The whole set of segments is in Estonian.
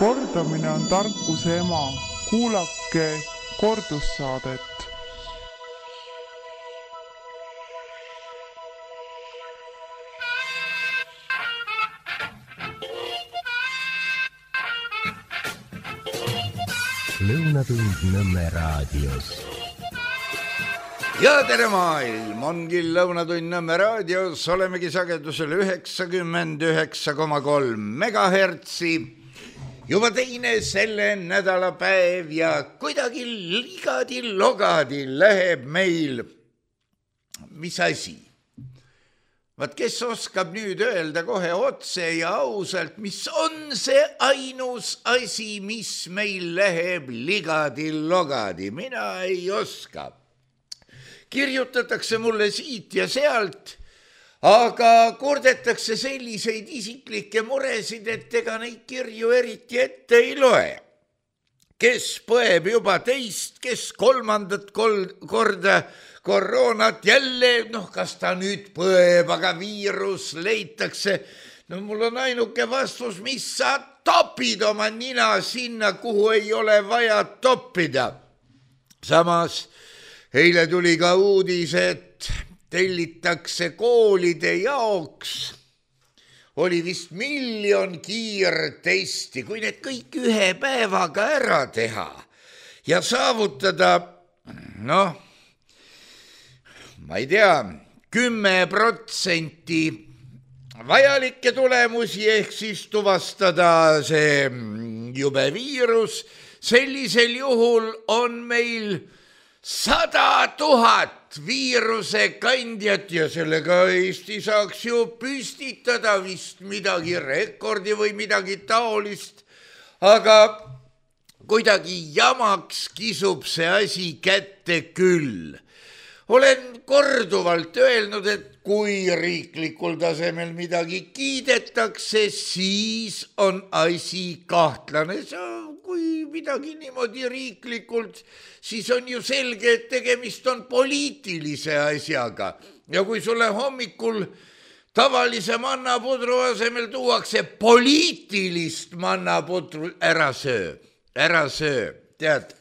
Kordamine on tarkuse ema. Kuulake kordussaadet. Lõunatund Nõmme raadios. Ja tere maailm, ongi Lõunatund Nõmme raadios, olemegi sagedusel 99,3 megahertsi. Juba teine selle nädala päev ja kuidagi ligadi-logadi läheb meil, mis asi? Vaat kes oskab nüüd öelda kohe otse ja ausalt, mis on see ainus asi, mis meil läheb ligadi-logadi? Mina ei oska. Kirjutatakse mulle siit ja sealt, aga kurdetakse selliseid isiklikke muresid, et ega neid kirju eriti ette ei loe. Kes põeb juba teist, kes kolmandat korda koroonat jälle, kas ta nüüd põeb, aga viirus leitakse. Mul on ainuke vastus, mis sa topid oma nina sinna, kuhu ei ole vaja toppida. Samas eile tuli ka uudis, et tellitakse koolide jaoks. Oli vist 1 miljon kiirtesti, kui need kõik ühe päevaga ära teha ja saavutada, ma ei tea, 10% vajalikke tulemusi ehk siis tuvastada see jube viirus. Sellisel juhul on meil 100 000 viirusekandjat ja sellega Eesti saaks ju püstitada vist midagi rekordi või midagi taolist, aga kuidagi jamaks kisub see asi kätte küll. Olen korduvalt öelnud, et kui riiklikul tasemel midagi kiidetakse, siis on asi kahtlane. Kui midagi niimoodi riiklikult, siis on ju selge, et tegemist on poliitilise asjaga. Ja kui sulle hommikul tavalise mannapudru asemel tuuakse poliitilist mannapudru, ära söö. Tead,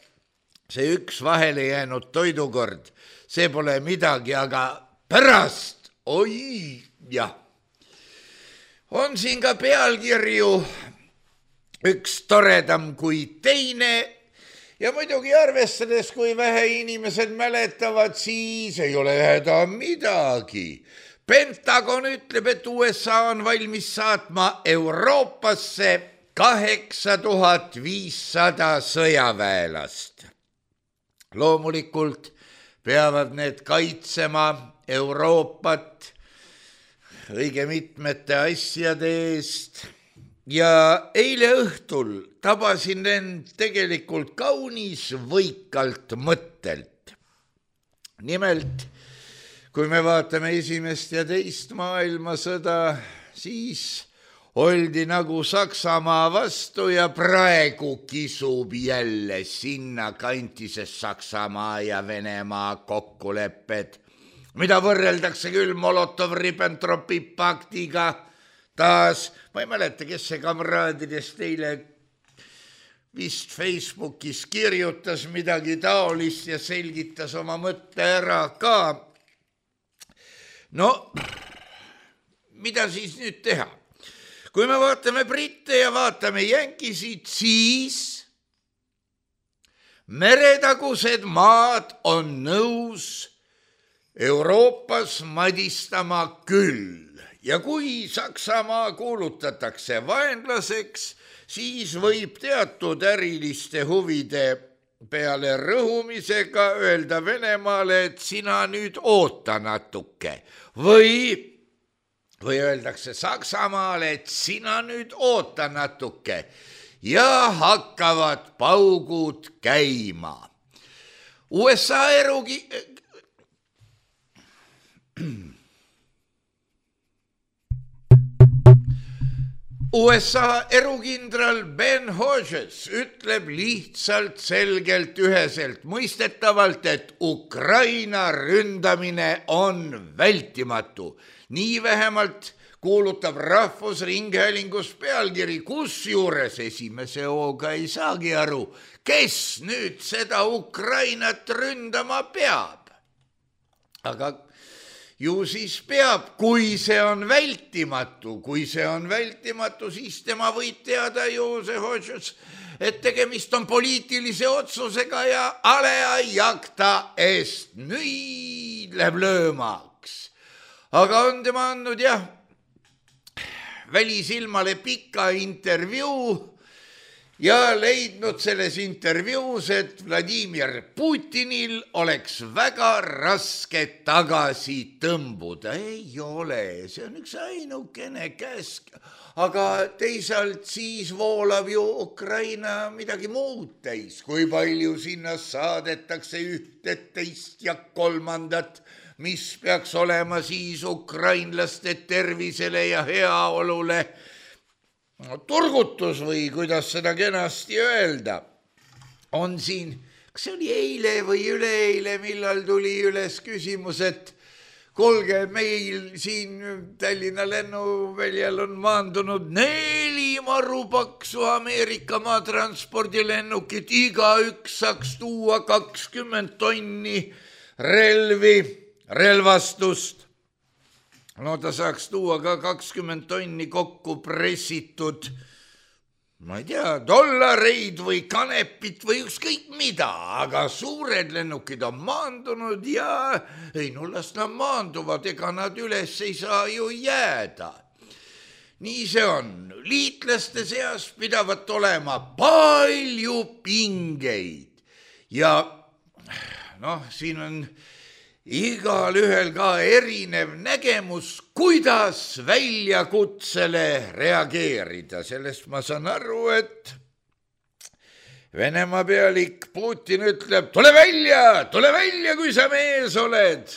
see üks vahele jäänud toidukord, see pole midagi, aga pärast, oi jah. On siin ka pealkirju üks toredam kui teine ja muidugi arvestades, kui vähe inimesed mäletavad, siis ei ole häda midagi. Pentagon ütleb, et USA on valmis saatma Euroopasse 8500 sõjaväelast. Loomulikult peavad need kaitsema Euroopat õige mitmete asjade eest. Ja eile õhtul tabasin end tegelikult kaunis võikalt mõttelt. Nimelt, kui me vaatame esimest ja teist maailmasõda, siis oldi nagu Saksamaa vastu ja praegu kisub jälle sinna kanti, sest Saksamaa ja Venemaa kokkulepped, mida võrreldakse küll Molotov-Ribbentropi paktiga. Taas, ma ei mäleta, kes see kamraadidest eile vist Facebookis kirjutas midagi taolist ja selgitas oma mõtte ära ka. Mida siis nüüd teha? Kui me vaatame britte ja vaatame jänkisid, siis meretagused maad on nõus Euroopas madistama küll. Ja kui Saksamaa kuulutatakse vaenlaseks, siis võib teatud äriliste huvide peale rõhumisega öelda Venemaale, et sina nüüd oota natuke. Või öeldakse Saksamaale, et sina nüüd oota natuke ja hakkavad paugud käima. USA erukindral Ben Hodges ütleb lihtsalt selgelt üheselt mõistetavalt, et Ukraina ründamine on vältimatu. Nii vähemalt kuulutab Rahvusringhäälingus pealkiri, kusjuures esimese hooga ei saagi aru, kes nüüd seda Ukrainat ründama peab. Aga ju siis peab, kui see on vältimatu, siis tema võib teada ju see otsus, et tegemist on poliitilise otsusega ja alea jakta eest nüüd läheb löömaks. Aga on tema andnud jah, välisilmale pika intervjuu ja leidnud selles intervjuus, et Vladimir Putinil oleks väga raske tagasi tõmbuda. Ei ole, see on üks ainukene käsk. Aga teisalt siis voolab ju Ukraina midagi muud täis. Kui palju sinna saadetakse ühte, teist ja kolmandat, mis peaks olema siis ukrainlaste tervisele ja heaolule turgutus või kuidas seda kenasti öelda. On siin, kas see oli eile või üleeile, millal tuli üles küsimus, et kuulge, meil siin Tallinna lennuväljal on maandunud 4 marupaksu Ameerika maatranspordilennukit, igaüks saaks tuua 20 tonni relvastust. No ta saaks tuua ka 20 tonni kokku pressitud, ma ei tea, dollareid või kanepit või ükskõik mida, aga suured lennukid on maandunud ja ei no las nad maanduvad, ega nad üles ei saa ju jääda. Nii see on. Liitlaste seas pidavat olema palju pingeid ja noh, siin on igal ühel ka erinev nägemus, kuidas väljakutsele reageerida. Sellest ma saan aru, et Venemaa pealik Putin ütleb, tule välja, kui sa mees oled.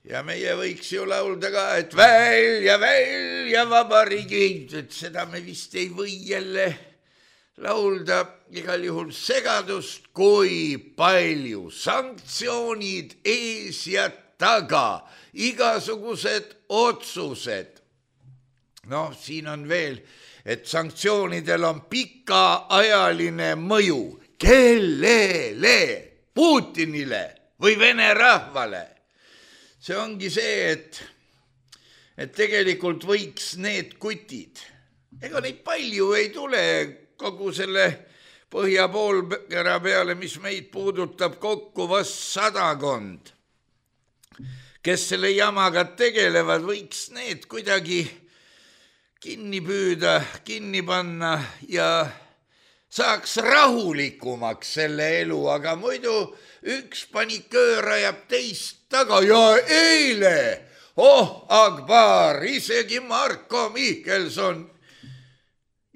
Ja meie võiks ju laulda ka, et välja vabariigi, et seda me vist ei või jälle laulda, igal juhul segadust, kui palju sanktsioonid ees ja taga, igasugused otsused. No siin on veel, et sanktsioonidel on pikaajaline mõju. Kellele? Putinile või Vene rahvale? See ongi see, et tegelikult võiks need kutid, ega neid palju ei tule kogu selle põhjapoolkera peale, mis meid puudutab kokku vast 100, kes selle jamaga tegelevad, võiks need kuidagi kinni püüda, kinni panna ja saaks rahulikumaks selle elu, aga muidu üks paniköör ajab teist taga ja eile, Akbar, isegi Marko Mihkelson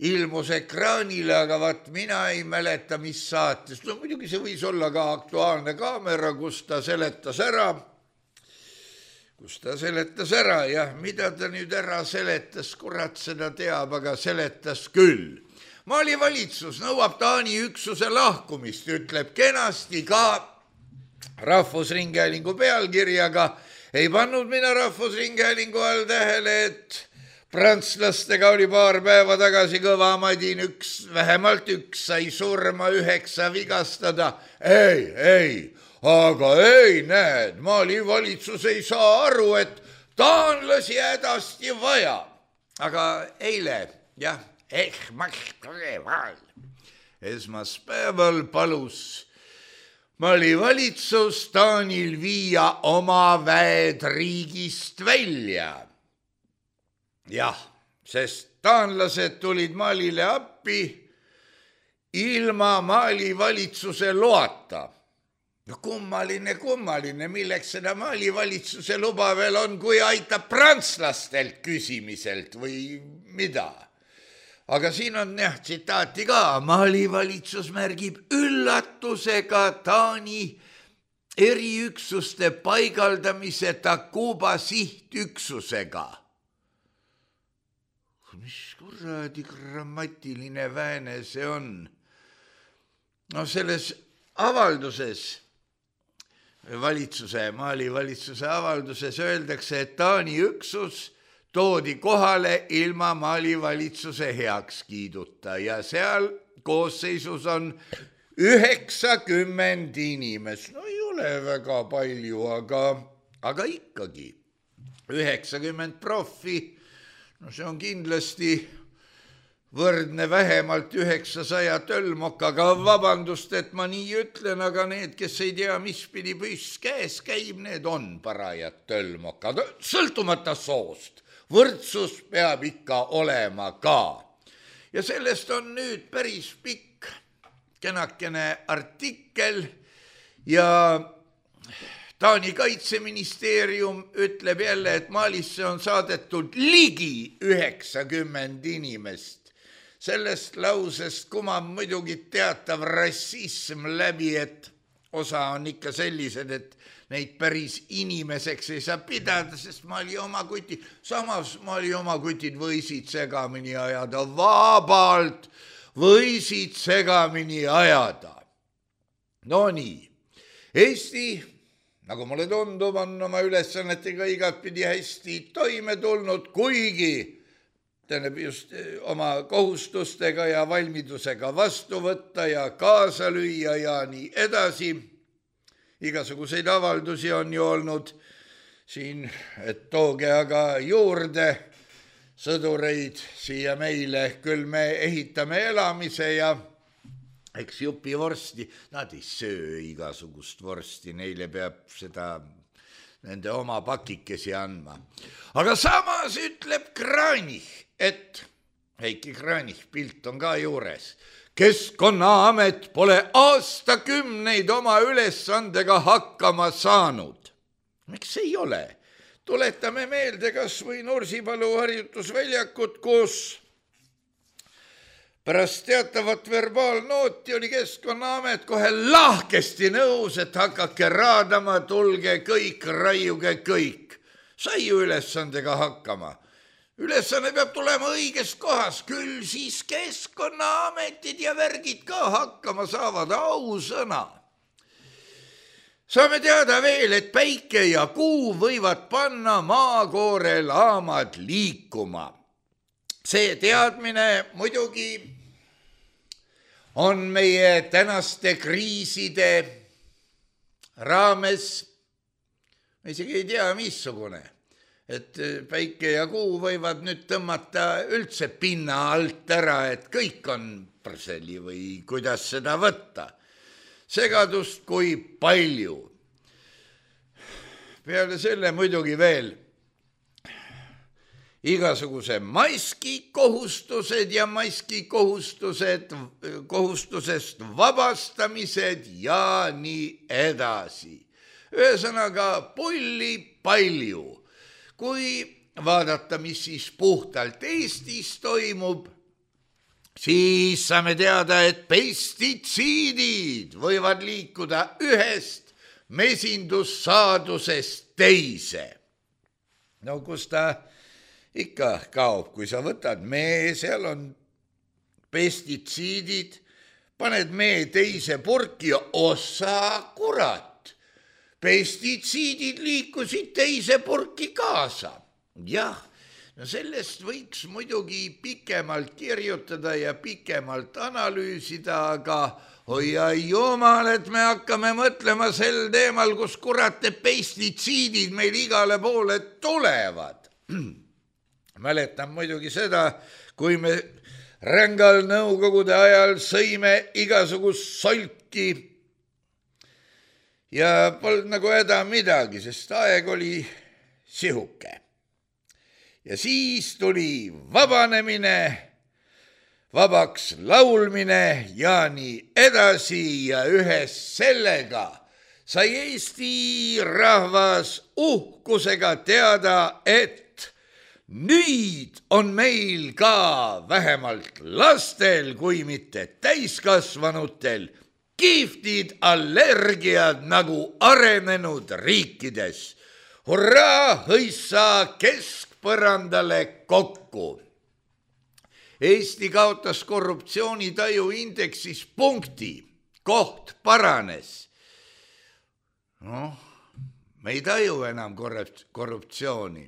ilmus ekraanile, aga vaat mina ei mäleta, mis saates. No muidugi see võis olla ka Aktuaalne kaamera, kus ta seletas ära, jah, mida ta nüüd ära seletas, kurat seda teab, aga seletas küll. Mali valitsus nõuab Taani üksuse lahkumist, ütleb kenasti ka Rahvusringhäälingu pealkirjaga. Ei pannud mina Rahvusringhäälingu all tähele, et prantslastega oli paar päeva tagasi kõva madin, vähemalt üks sai surma, 9 vigastada. Ei, näed, Mali valitsus ei saa aru, et taanlasi hädasti vaja. Aga eile, jah, esmaspäeval palus Mali valitsus Taanil viia oma väed riigist välja. Jah, sest taanlased tulid Malile appi ilma Mali valitsuse loata. No kummaline, milleks seda Mali valitsuse luba veel on, kui aitab prantslastelt küsimiselt või mida. Aga siin on jah tsitaati ka, Mali valitsus märgib üllatusega Taani eriüksuste paigaldamise Takuba sihtüksusega. Mis kuradi grammatiline vääne see on? No selles avalduses, Mali valitsuse avalduses öeldakse, et Taani üksus toodi kohale ilma Mali valitsuse heakskiiduta ja seal koosseisus on 90 inimest. No ei ole väga palju, aga ikkagi 90 profi, no see on kindlasti võrdne vähemalt 900 tölmokaga. Vabandust, et ma nii ütlen, aga need, kes ei tea, mis pidi püss käes käib, need on parajad tölmokad, sõltumata soost. Võrdsus peab ikka olema ka. Ja sellest on nüüd päris pikk kenakene artikkel ja Taani kaitseministeerium ütleb jälle, et Malisse on saadetud ligi 90 inimest. Sellest lausest kumab muidugi teatav rassism läbi, et osa on ikka sellised, et neid päris inimeseks ei saa pidada, sest Mali oma kutid, samas Mali oma kutid võisid segamini ajada, vabalt võisid segamini ajada. No nii, Eesti, nagu mulle tundub, on oma ülesannetega igatpidi hästi toime tulnud, kuigi tähendab just oma kohustustega ja valmidusega vastu võtta ja kaasa lüüa ja nii edasi. Igasuguseid avaldusi on ju olnud siin, et tooge aga juurde sõdureid siia meile, küll me ehitame elamise ja eks jupi vorsti, nad ei söö igasugust vorsti, neile peab seda nende oma pakikesi andma. Aga samas ütleb Kranich, et Heiki Kranich, pilt on ka juures, Keskkonnaamet pole aastakümneid oma ülesandega hakkama saanud. Miks ei ole? Tuletame meelde kas või Nursipalu harjutusväljakut, kus pärast teatavat verbaalnooti oli Keskkonnaamet kohe lahkesti nõus, et hakake raadama, tulge kõik, raiuge kõik. Sai ju ülesandega hakkama. Ülesanne peab tulema õiges kohas, küll siis Keskkonnaametid ja värgid ka hakkama saavad, ausõna. Saame teada veel, et päike ja kuu võivad panna maakoore laamad liikuma. See teadmine muidugi on meie tänaste kriiside raames, ma isegi ei tea, missugune, et päike ja kuu võivad nüüd tõmmata üldse pinna alt ära, et kõik on prseli või kuidas seda võtta. Segadust kui palju. Peale selle muidugi veel igasuguse maskikohustused ja kohustusest vabastamised ja nii edasi. Ühesõnaga pulli palju. Kui vaadata, mis siis puhtalt Eestis toimub, siis saame teada, et pestitsiidid võivad liikuda ühest mesindussaadusest teise. No kus ta ikka kaob, kui sa võtad mee, seal on pestitsiidid, paned mee teise purki ja osa kurat. Pestitsiidid liikusid teise purki kaasa. Jah, no sellest võiks muidugi pikemalt kirjutada ja pikemalt analüüsida, aga hoia jumal, et me hakkame mõtlema sel teemal, kus kurate pestitsiidid meil igale poole tulevad. Mäletan muidugi seda, kui me rängal nõukogude ajal sõime igasugust solki ja polnud nagu häda midagi, sest aeg oli sihuke. Ja siis tuli vabanemine, vabaks laulmine ja nii edasi ja ühes sellega sai Eesti rahvas uhkusega teada, et nüüd on meil ka vähemalt lastel, kui mitte täiskasvanutel, kihvtid allergiad nagu arenenud riikides. Hurraa, hõissa keskpõrandale kokku. Eesti kaotas korruptsioonitaju indeksis punkti, koht paranes. No, me ei taju enam korruptsiooni.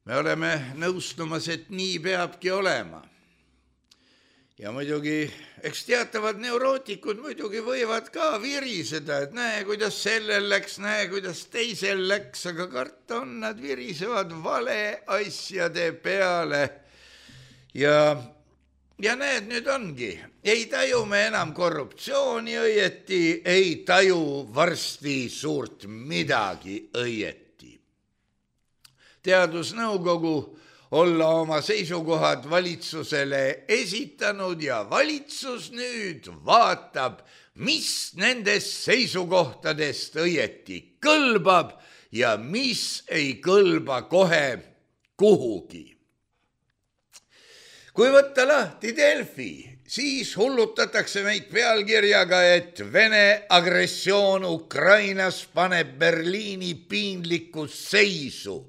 me oleme nõustumas, et nii peabki olema. Ja muidugi, eks teatavad neurootikud muidugi võivad ka viriseda, et näe, kuidas sellel läks, näe, kuidas teisel läks, aga karta on, nad virisevad vale asjade peale. Ja näed, nüüd ongi, ei taju me enam korruptsiooni õieti, ei taju varsti suurt midagi õieti. Teadusnõukogu olla oma seisukohad valitsusele esitanud ja valitsus nüüd vaatab, mis nendest seisukohtadest õieti kõlbab ja mis ei kõlba kohe kuhugi. Kui võtta lahti Delfi, siis hullutatakse meid pealkirjaga, et Vene agressioon Ukrainas paneb Berliini piinlikku seisu.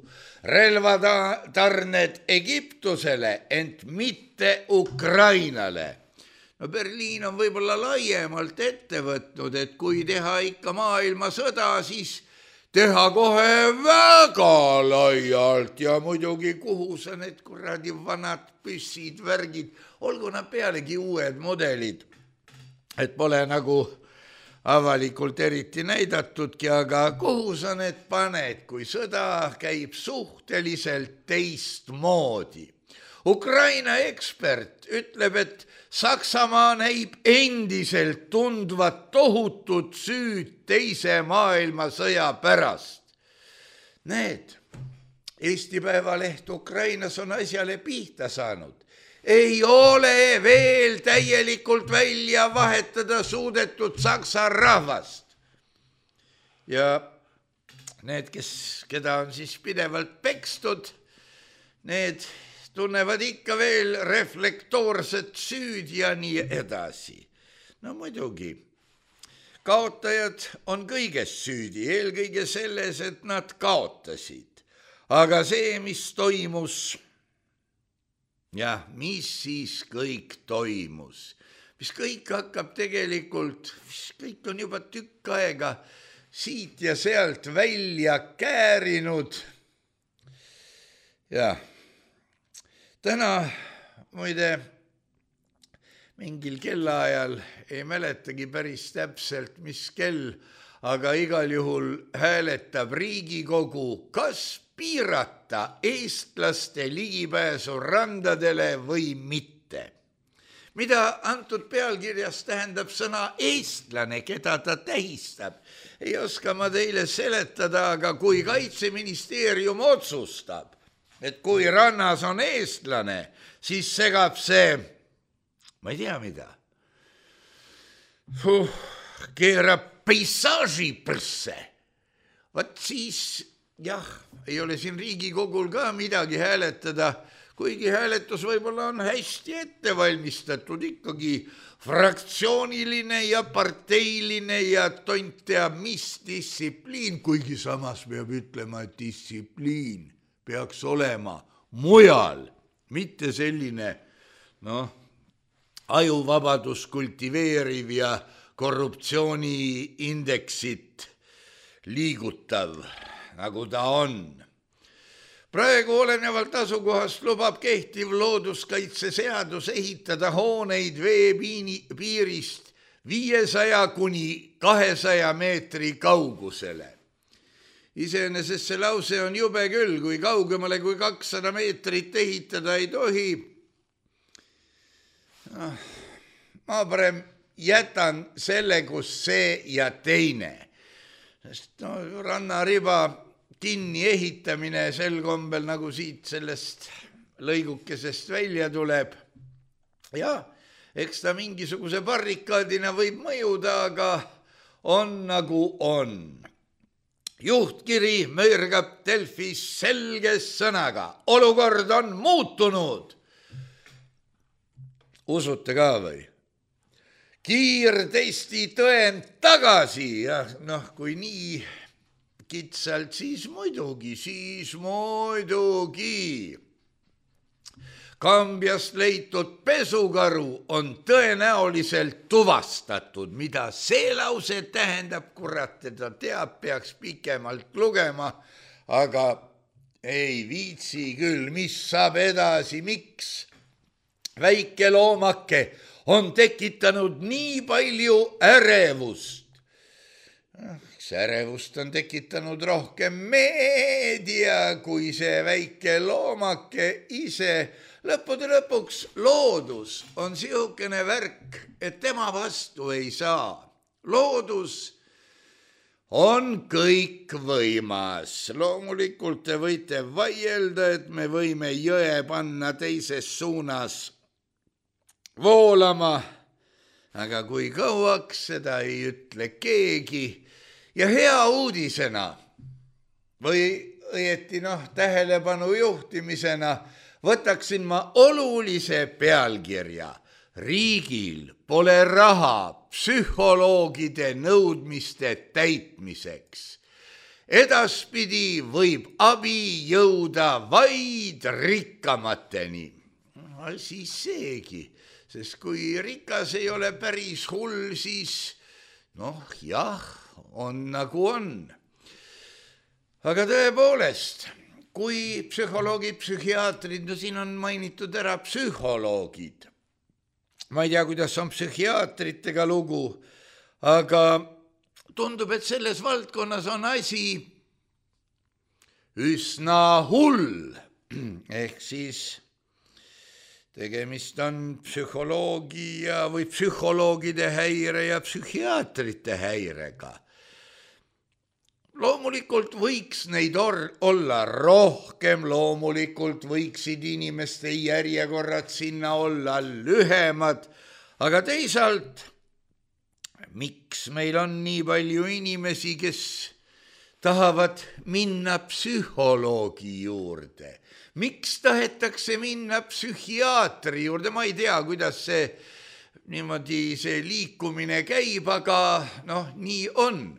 Relvatarned Egiptusele, ent mitte Ukrainale. No Berliin on võib-olla laiemalt ette võtnud, et kui teha ikka maailmasõda, siis teha kohe väga laialt ja muidugi kuhu sa need kuradi vanad püssid, värgid, olgu nad pealegi uued modelid, et pole nagu avalikult eriti näidatudki, aga kuhu sa need paned, kui sõda käib suhteliselt teistmoodi. Ukraina ekspert ütleb, et Saksamaa näib endiselt tundvat tohutut süüd teise maailmasõja pärast. Need, Eesti Päevaleht Ukrainas on asjale pihta saanud. Ei ole veel täielikult välja vahetada suudetud saksa rahvast. Ja need, keda on siis pidevalt pekstud, need tunnevad ikka veel reflektoorset süüd ja nii edasi. No muidugi, kaotajad on kõiges süüdi, eelkõige selles, et nad kaotasid. Aga see, mis toimus... Ja mis siis kõik toimus? Mis kõik hakkab tegelikult, kõik on juba tükk aega siit ja sealt välja käärinud. Ja täna muide mingil kellaajal ei mäletagi päris täpselt, mis kell, aga igal juhul hääletab Riigikogu, kas piirata eestlaste ligipääsu randadele või mitte. Mida antud pealkirjas tähendab sõna eestlane, keda ta tähistab? Ei oska ma teile seletada, aga kui Kaitseministeerium otsustab, et kui rannas on eestlane, siis segab see, ma ei tea mida, keerab peisaaži prsse. Vat siis... Jah, ei ole siin Riigikogul ka midagi hääletada, kuigi hääletus võib-olla on hästi ette valmistatud, ikkagi fraktsiooniline ja parteiline ja tont teab mis distsipliin, kuigi samas peab ütlema, et distsipliin peaks olema mujal, mitte selline ajuvabadus kultiveeriv ja korruptsiooniindeksit liigutav, nagu ta on. Praegu olenevalt asukohast lubab kehtiv looduskaitseseadus ehitada hooneid veepiirist 500 kuni 200 meetri kaugusele. Iseenesest see lause on jube küll, kui kaugemale kui 200 meetrit ehitada ei tohi. Ma parem jätan selle, kus see ja teine. Sest rannariba kinni ehitamine sel kombel, nagu siit sellest lõigukesest välja tuleb. Ja, eks ta mingisuguse barrikaadina võib mõjuda, aga on nagu on. Juhtkiri möörgab Delfis selge sõnaga. Olukord on muutunud. Usute ka või? Kiirtesti tõend tagasi. Ja kui nii kitsalt, siis muidugi. Kambjast leitud pesukaru on tõenäoliselt tuvastatud. Mida see lause tähendab, kurat, teda teab, peaks pikemalt lugema, aga ei viitsi küll, mis saab edasi, miks? Väike loomake on tekitanud nii palju ärevust. See ärevust on tekitanud rohkem meedia kui see väike loomake ise. Lõppude lõpuks loodus on siukene värk, et tema vastu ei saa. Loodus on kõik võimas. Loomulikult te võite vaielda, et me võime jõe panna teises suunas voolama, aga kui kauaks, seda ei ütle keegi. Ja hea uudisena või õieti tähelepanu juhtimisena võtaksin ma olulise pealkirja. Riigil pole raha psühholoogide nõudmiste täitmiseks. Edaspidi võib abi jõuda vaid rikkamateni. Siis seegi, sest kui rikas ei ole päris hull, siis jah, on nagu on. Aga tõepoolest, kui psühholoogid, psühhiaatrid, siin on mainitud ära psühholoogid. Ma ei tea, kuidas on psühhiaatritega lugu, aga tundub, et selles valdkonnas on asi üsna hull. Ehk siis tegemist on psühholoogia või psühholoogide häire ja psühhiaatrite häirega. Loomulikult võiks neid olla rohkem, loomulikult võiksid inimeste järjekorrad sinna olla lühemad, aga teisalt, miks meil on nii palju inimesi, kes tahavad minna psühholoogi juurde? Miks tahetakse minna psühhiaatri juurde? Ma ei tea, kuidas see liikumine käib, aga nii on.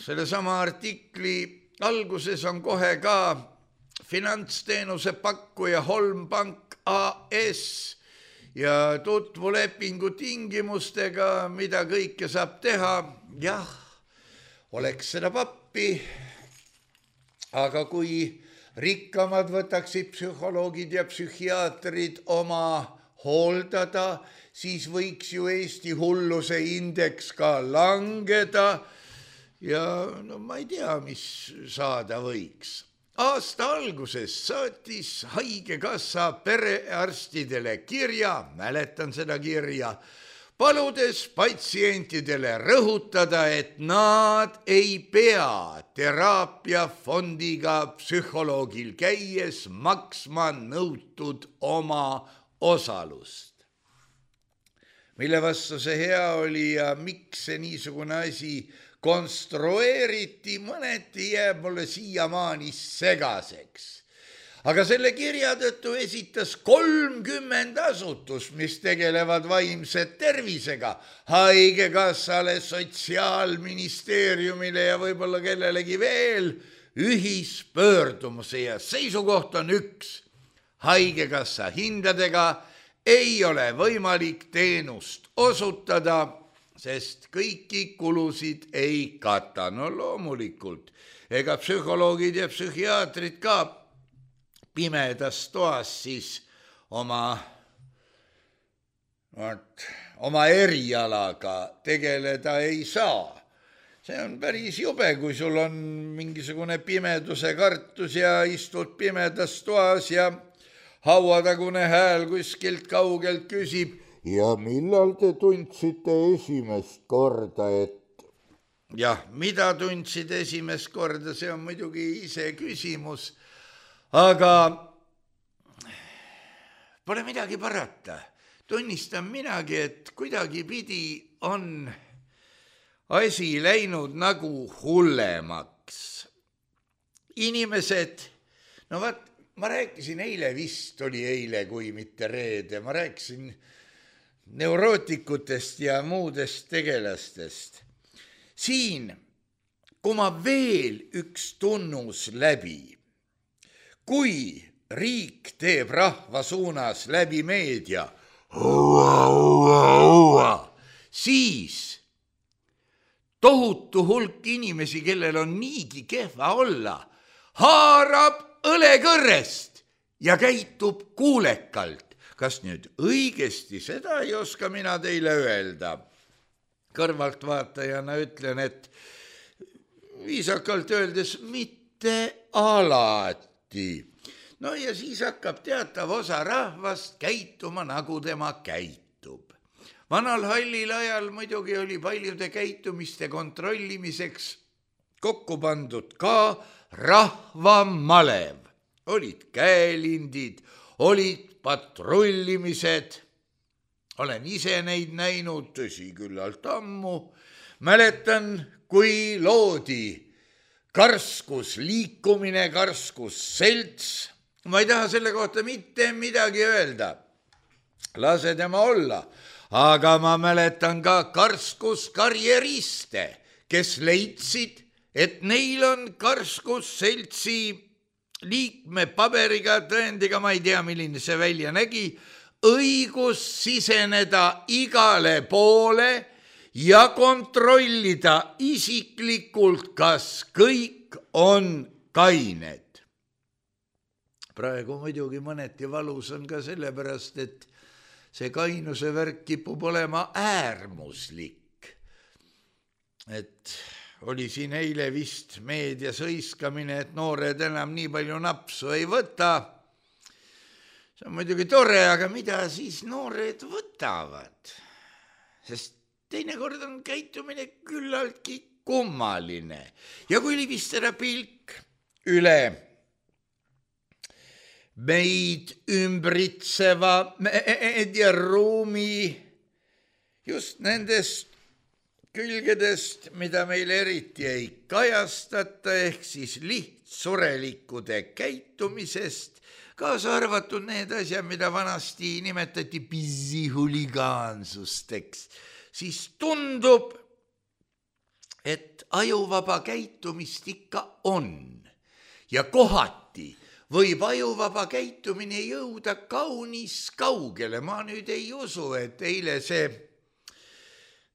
Sellesama artikli alguses on kohe ka finantsteenuse pakkuja Holmpank AS ja tutvulepingu tingimustega, mida kõike saab teha. Jah, oleks seda pappi, aga kui rikkamad võtaksid psühholoogid ja psühhiaatrid oma hooldada, siis võiks ju Eesti hulluse indeks ka langeda. Ja ma ei tea, mis saada võiks. Aasta alguses saatis haigekassa perearstidele kirja, mäletan seda kirja, paludes patsientidele rõhutada, et nad ei pea teraapiafondiga psühholoogil käies maksma nõutud oma osalust. Mille vastu see hea oli ja miks see niisugune asi konstrueeriti, mõneti jääb mulle siiamaani segaseks. Aga selle kirja tõttu esitas 30 asutust, mis tegelevad vaimse tervisega, haigekassale, sotsiaalministeeriumile ja võib-olla kellelegi veel ühispöördumuse ja seisukoht on üks. Haigekassa hindadega ei ole võimalik teenust osutada, sest kõiki kulusid ei kata. Loomulikult, ega psühholoogid ja psühhiaatrid ka pimedas toas siis oma erialaga tegeleda ei saa. See on päris jube, kui sul on mingisugune pimeduse kartus ja istud pimedas toas ja hauatagune hääl kuskilt kaugelt küsib, ja millal te tundsite esimest korda, et... Jah, mida tundsid esimest korda, see on muidugi ise küsimus, aga pole midagi parata. Tunnistan minagi, et kuidagi pidi on asi läinud nagu hullemaks. Inimesed, ma rääkisin eile, vist oli eile, kui mitte reede, ma rääkisin neurootikutest ja muudest tegelastest. Siin, kui ma veel üks tunnus läbi, kui riik teeb rahva suunas läbi meedia, siis tohutu hulk inimesi, kellel on niigi kehva olla, haarab õlekõrrest ja käitub kuulekalt. Kas nüüd õigesti, seda ei oska mina teile öelda. Kõrvaltvaatajana ütlen, et viisakalt öeldes mitte alati. No ja siis hakkab teatav osa rahvast käituma, nagu tema käitub. Vanal hallil ajal muidugi oli paljude käitumiste kontrollimiseks kokku pandud ka rahvamalev. Olid käelindid, olid patrullimised. Olen ise neid näinud, tõsi küllalt ammu. Mäletan, kui loodi karskus liikumine, karskus selts. Ma ei taha selle kohta mitte midagi öelda. Lase tema olla. Aga ma mäletan ka karskus karjeriste, kes leidsid, et neil on karskus seltsi liikme paberiga, tõendiga, ma ei tea, milline see välja nägi, õigus siseneda igale poole ja kontrollida isiklikult, kas kõik on kained. Praegu muidugi mõneti valus on ka sellepärast, et see kainuse värk kipub olema äärmuslik. Et oli siin eile vist meedias hõiskamine, et noored enam nii palju napsu ei võta. See on muidugi tore, aga mida siis noored võtavad? Sest teinekord on käitumine küllaltki kummaline. Ja kui libistada pilk üle meid ümbritseva meediaruumi just nendest külgedest, mida meil eriti ei kajastata, ehk siis lihtsurelikkude käitumisest, kaasa arvatud need asjad, mida vanasti nimetati pisihhuligaansusteks, siis tundub, et ajuvaba käitumist ikka on ja kohati võib ajuvaba käitumine jõuda kaunis kaugele. Ma nüüd ei usu, et eile see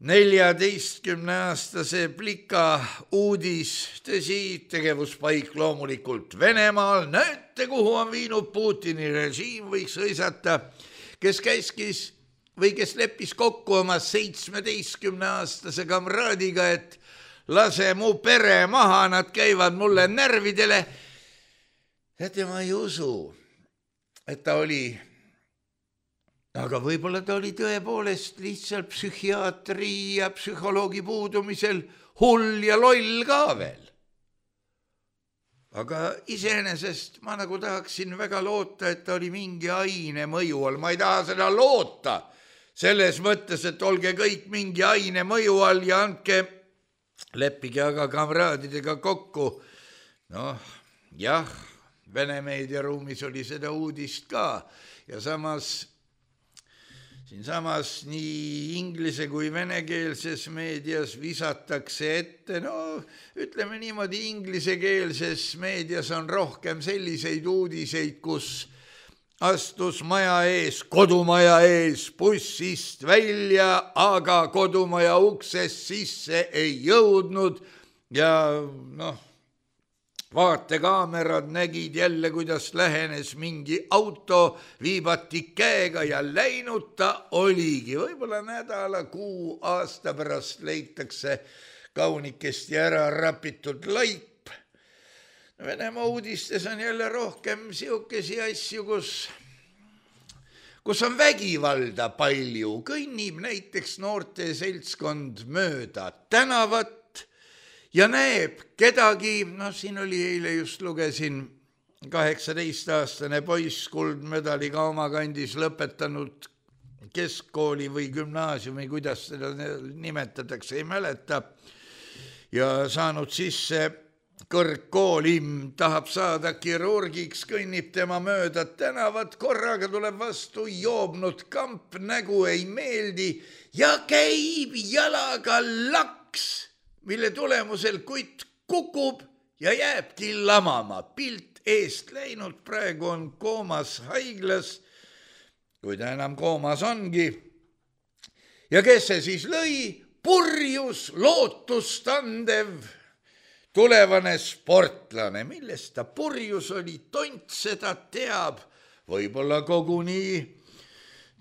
14-aastase plika uudis, tõsi, tegevuspaik loomulikult Venemaal, näete, kuhu on viinud Putini režiim, võiks hõisata, kes käskis või kes leppis kokku oma 17-aastase kamraadiga, et lase mu pere maha, nad käivad mulle närvidele. Teate, ma ei usu, et ta oli, aga võib-olla ta oli tõepoolest lihtsalt psühhiaatri ja psühholoogi puudumisel hull ja loll ka veel. Aga iseenesest ma nagu tahaksin väga loota, et ta oli mingi aine mõju all. Ma ei taha seda loota selles mõttes, et olge kõik mingi aine mõju all ja leppige aga kamraadidega kokku. Noh, jah, Vene meediaruumis oli seda uudist ka ja siinsamas nii inglise kui venekeelses meedias visatakse ette, no ütleme niimoodi, inglisekeelses meedias on rohkem selliseid uudiseid, kus astus kodumaja ees bussist välja, aga kodumaja uksest sisse ei jõudnud ja vaatekaamerad nägid jälle, kuidas lähenes mingi auto, viibati käega ja läinud ta oligi. Võib-olla nädala, kuu, aasta pärast leitakse kaunikesti ära rapitud laip. Venemaa uudistes on jälle rohkem siukesi asju, kus on vägivalda palju. Kõnnib näiteks noorte seltskond mööda tänavat ja näeb kedagi, siin oli eile just lugesin 18-aastane poiss kuldmedaliga oma kandis lõpetanud keskkooli või gümnaasiumi, kuidas seda nimetatakse, ei mäleta, ja saanud sisse kõrgkooli, tahab saada kirurgiks, kõnnib tema mööda tänavat, korraga tuleb vastu joobnud kamp, nägu ei meeldi ja käib jalaga laks, mille tulemusel kutt kukub ja jääbki lamama. Pilt eest läinud, praegu on koomas haiglas, kui ta enam koomas ongi. Ja kes see siis lõi? Purjus lootustandev tulevane sportlane, millest ta purjus oli, tont seda teab, võib-olla koguni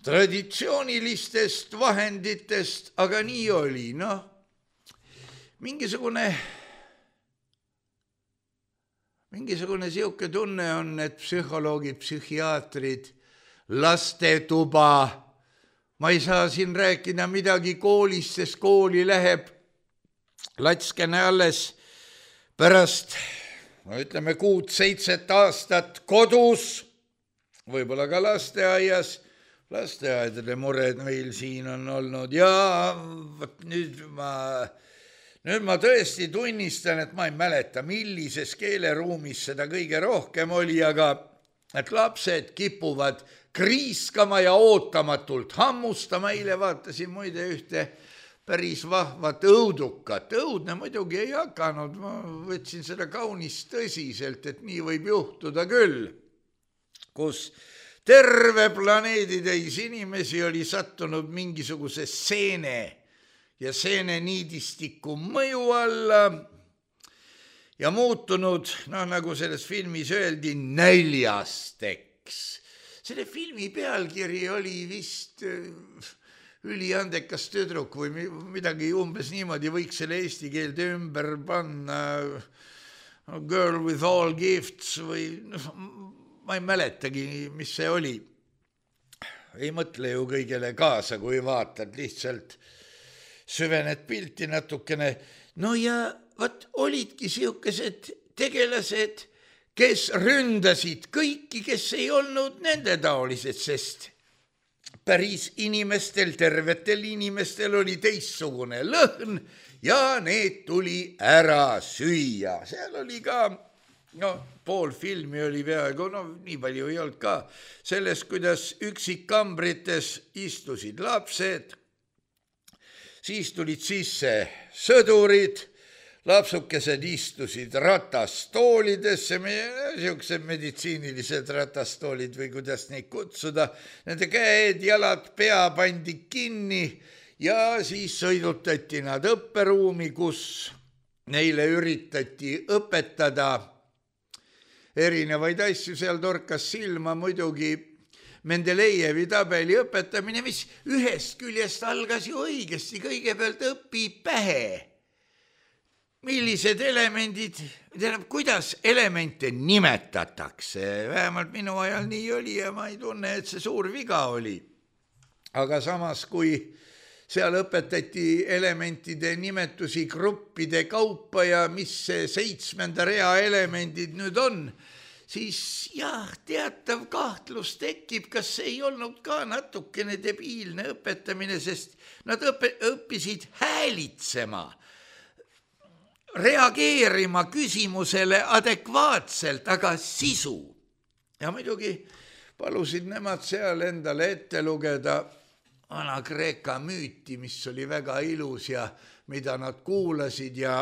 traditsioonilistest vahenditest, aga nii oli, noh, mingisugune siuke tunne on, et psühholoogid, psühhiaatrid, lastetuba, ma ei saa siin rääkida midagi koolist, sest kooli läheb latskene alles pärast, ütleme 6-7 aastat kodus, võib-olla ka lasteaias, lasteaedade mured meil siin on olnud ja nüüd ma tõesti tunnistan, et ma ei mäleta, millises keeleruumis seda kõige rohkem oli, aga et lapsed kipuvad kriiskama ja ootamatult hammustama. Eile vaatasin muide ühte päris vahvat õudukat. Õudne muidugi ei hakanud, ma võtsin seda kaunis tõsiselt, et nii võib juhtuda küll, kus terve planeeditäis inimesi oli sattunud mingisuguse seene ja seeneniidistiku mõju alla ja muutunud, nagu selles filmis öeldi, näljasteks. Selle filmi pealkiri oli vist üliandekas tüdruk või midagi umbes niimoodi, võiks selle eesti keelde ümber panna, Girl with all gifts või ma ei mäletagi, mis see oli. Ei mõtle ju kõigele kaasa, kui vaatad, lihtsalt süvened pilti natukene. No ja olidki siukesed tegelased, kes ründasid kõiki, kes ei olnud nende taolised, sest päris inimestel, tervetel inimestel oli teistsugune lõhn ja need tuli ära süüa. Seal oli ka, pool filmi oli peaaegu, nii palju ei olnud ka, sellest, kuidas üksikkambrites istusid lapsed, siis tulid sisse sõdurid, lapsukesed istusid ratastoolidesse, niisugused meditsiinilised ratastoolid või kuidas neid kutsuda, nende käed, jalad, pea pandi kinni ja siis sõidutati nad õpperuumi, kus neile üritati õpetada erinevaid asju. Seal torkas silma muidugi Mendelejevi tabeli õpetamine, mis ühest küljest algas ju õigesti, kõigepealt õpi pähe. Millised elemendid, kuidas elemente nimetatakse, vähemalt minu ajal nii oli ja ma ei tunne, et see suur viga oli. Aga samas, kui seal õpetati elementide nimetusi gruppide kaupa ja mis see 7. rea elemendid nüüd on, siis jah, teatav kahtlus tekib, kas see ei olnud ka natukene debiilne õpetamine, sest nad õppisid häälitsema, reageerima küsimusele adekvaatselt, aga sisu. Ja muidugi palusid nemad seal endale ette lugeda Vana-Kreeka müüti, mis oli väga ilus ja mida nad kuulasid ja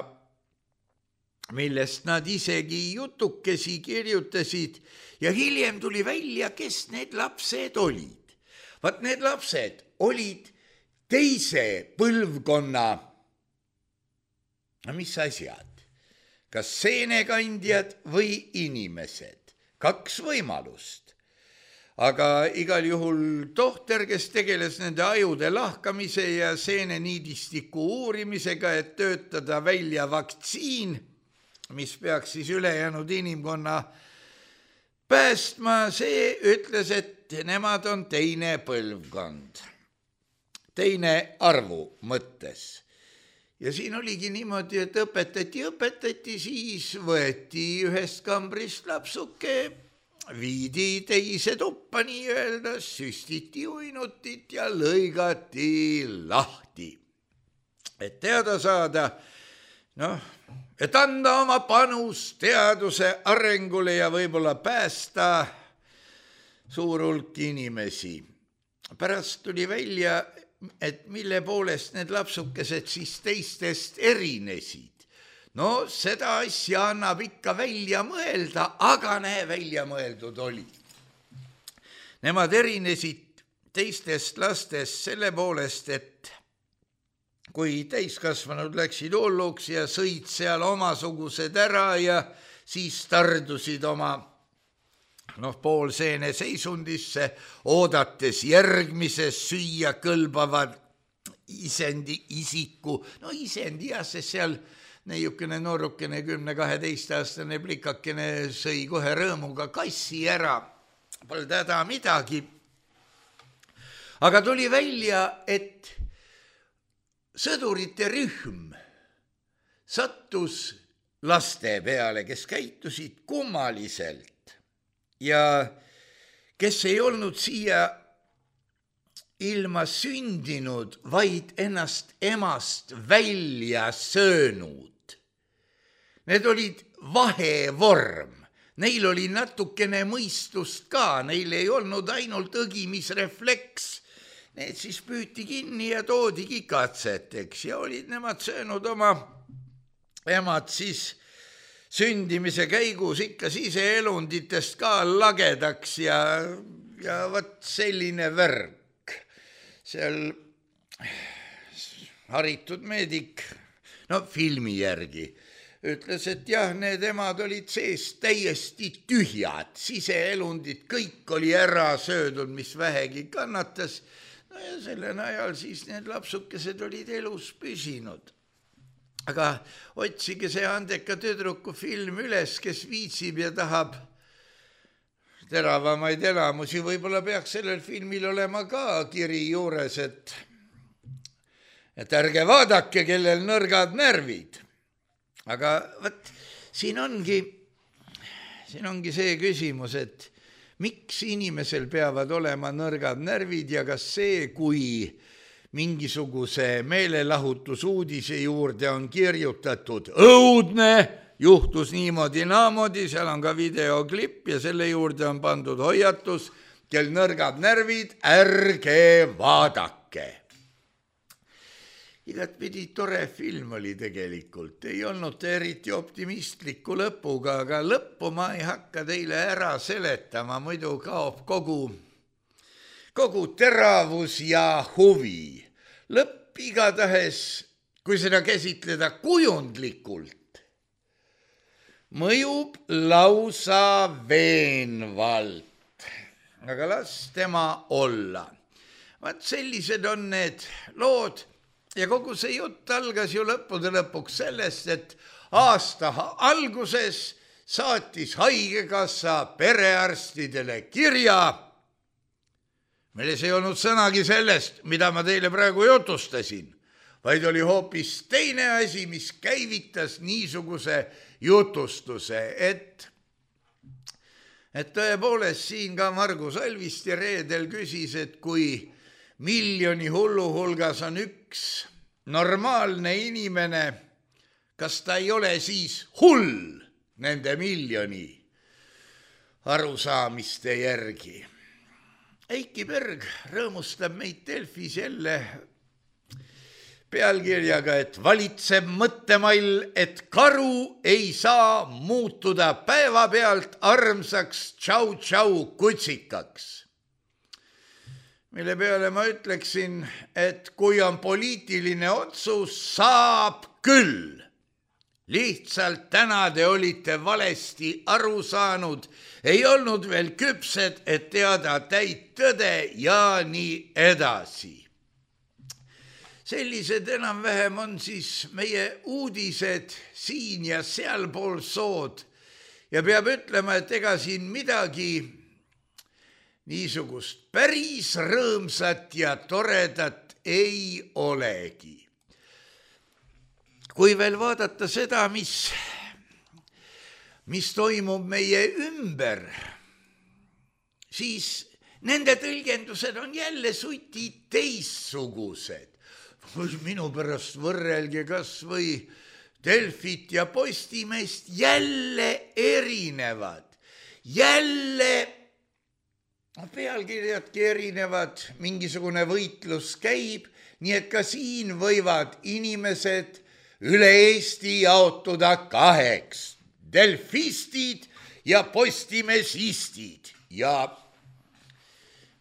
millest nad isegi jutukesi kirjutasid ja hiljem tuli välja, kes need lapsed olid. Vaat need lapsed olid teise põlvkonna, mis asjad, kas seenekandjad või inimesed, 2 võimalust. Aga igal juhul tohter, kes tegeles nende ajude lahkamise ja seeneniidistiku uurimisega, et töötada välja vaktsiin, mis peaks siis ülejäänud inimkonna päästma, see ütles, et nemad on teine põlvkond, teine arvu mõttes. Ja siin oligi niimoodi, et õpetati, siis võeti ühest kambrist lapsuke, viidi teise tuppa nii-öelda, süstiti uinutit ja lõigati lahti. Et teada saada, et anda oma panus teaduse arengule ja võib-olla päästa suur hulk inimesi. Pärast tuli välja, et mille poolest need lapsukesed siis teistest erinesid. Seda asja annab ikka välja mõelda, aga välja mõeldud oli. Nemad erinesid teistest lastest selle poolest, et kui täiskasvanud läksid hulluks ja sõid seal omasugused ära ja siis tardusid oma poolseene seisundisse, oodates järgmises süüa kõlbavad isiku, isendi jah, sest seal neiukene noorukene 10-12-aastane plikakene sõi kohe rõõmuga kassi ära, polnud häda midagi. Aga tuli välja, et sõdurite rühm sattus laste peale, kes käitusid kummaliselt ja kes ei olnud siia ilma sündinud, vaid ennast emast välja söönud. Need olid vahevorm, neil oli natukene mõistust ka, neil ei olnud ainult õgimisrefleks. Need siis püüti kinni ja toodigi katseteks ja olid nemad söönud oma emad siis sündimise käigus ikka siseelunditest ka lagedaks ja võt selline värk. Seal haritud meedik, filmi järgi, ütles, et jah, need emad olid sees täiesti tühjad, siseelundid, kõik oli ära söödud, mis vähegi kannatas. Ja selle najal siis need lapsukesed olid elus püsinud. Aga otsige see andeka tüdruku film üles, kes viitsib ja tahab teravamaid elamusi. Võib-olla peaks sellel filmil olema ka kiri juures, et ärge vaadake, kellel nõrgad närvid. Aga võt, siin ongi see küsimus, et miks inimesel peavad olema nõrgad närvid ja kas see, kui mingisuguse meelelahutusuudise juurde on kirjutatud õudne, juhtus niimoodi naamoodi, seal on ka videoklipp ja selle juurde on pandud hoiatus, kel nõrgad närvid, ärge vaadake. Igatpidi tore film oli tegelikult, ei olnud eriti optimistliku lõpuga, aga lõppu ma ei hakka teile ära seletama, muidu kaob kogu teravus ja huvi. Lõpp igatahes, kui seda käsitleda kujundlikult, mõjub lausa veenvalt. Aga las tema olla. Vaat sellised on need lood ja kogu see jutt algas ju lõppude lõpuks sellest, et aasta alguses saatis haigekassa perearstidele kirja, milles ei olnud sõnagi sellest, mida ma teile praegu jutustasin, vaid oli hoopis teine asi, mis käivitas niisuguse jutustuse, et tõepoolest siin ka Margus Alvist ja reedel küsis, et kui miljoni hullu hulgas on üks normaalne inimene, kas ta ei ole siis hull nende miljoni arusaamiste järgi. Eiki Berg rõõmustab meid Delfis jälle pealkirjaga, et valitseb mõttemall, et karu ei saa muutuda päevapealt armsaks tšau-tšau kutsikaks. Mille peale ma ütleksin, et kui on poliitiline otsus, saab küll. Lihtsalt täna te olite valesti aru saanud, ei olnud veel küpsed, et teada täit tõde ja nii edasi. Sellised enam-vähem on siis meie uudised siin ja sealpool sood ja peab ütlema, et ega siin midagi niisugust päris rõõmsat ja toredat ei olegi. Kui veel vaadata seda, mis toimub meie ümber, siis nende tõlgendused on jälle suti teissugused. Minu pärast võrrelge kas või Delfit ja Postimeest, jälle erinevad, jälle pealkirjadki erinevad, mingisugune võitlus käib, nii et ka siin võivad inimesed üle Eesti jaotuda kaheks, delfistid ja postimesistid ja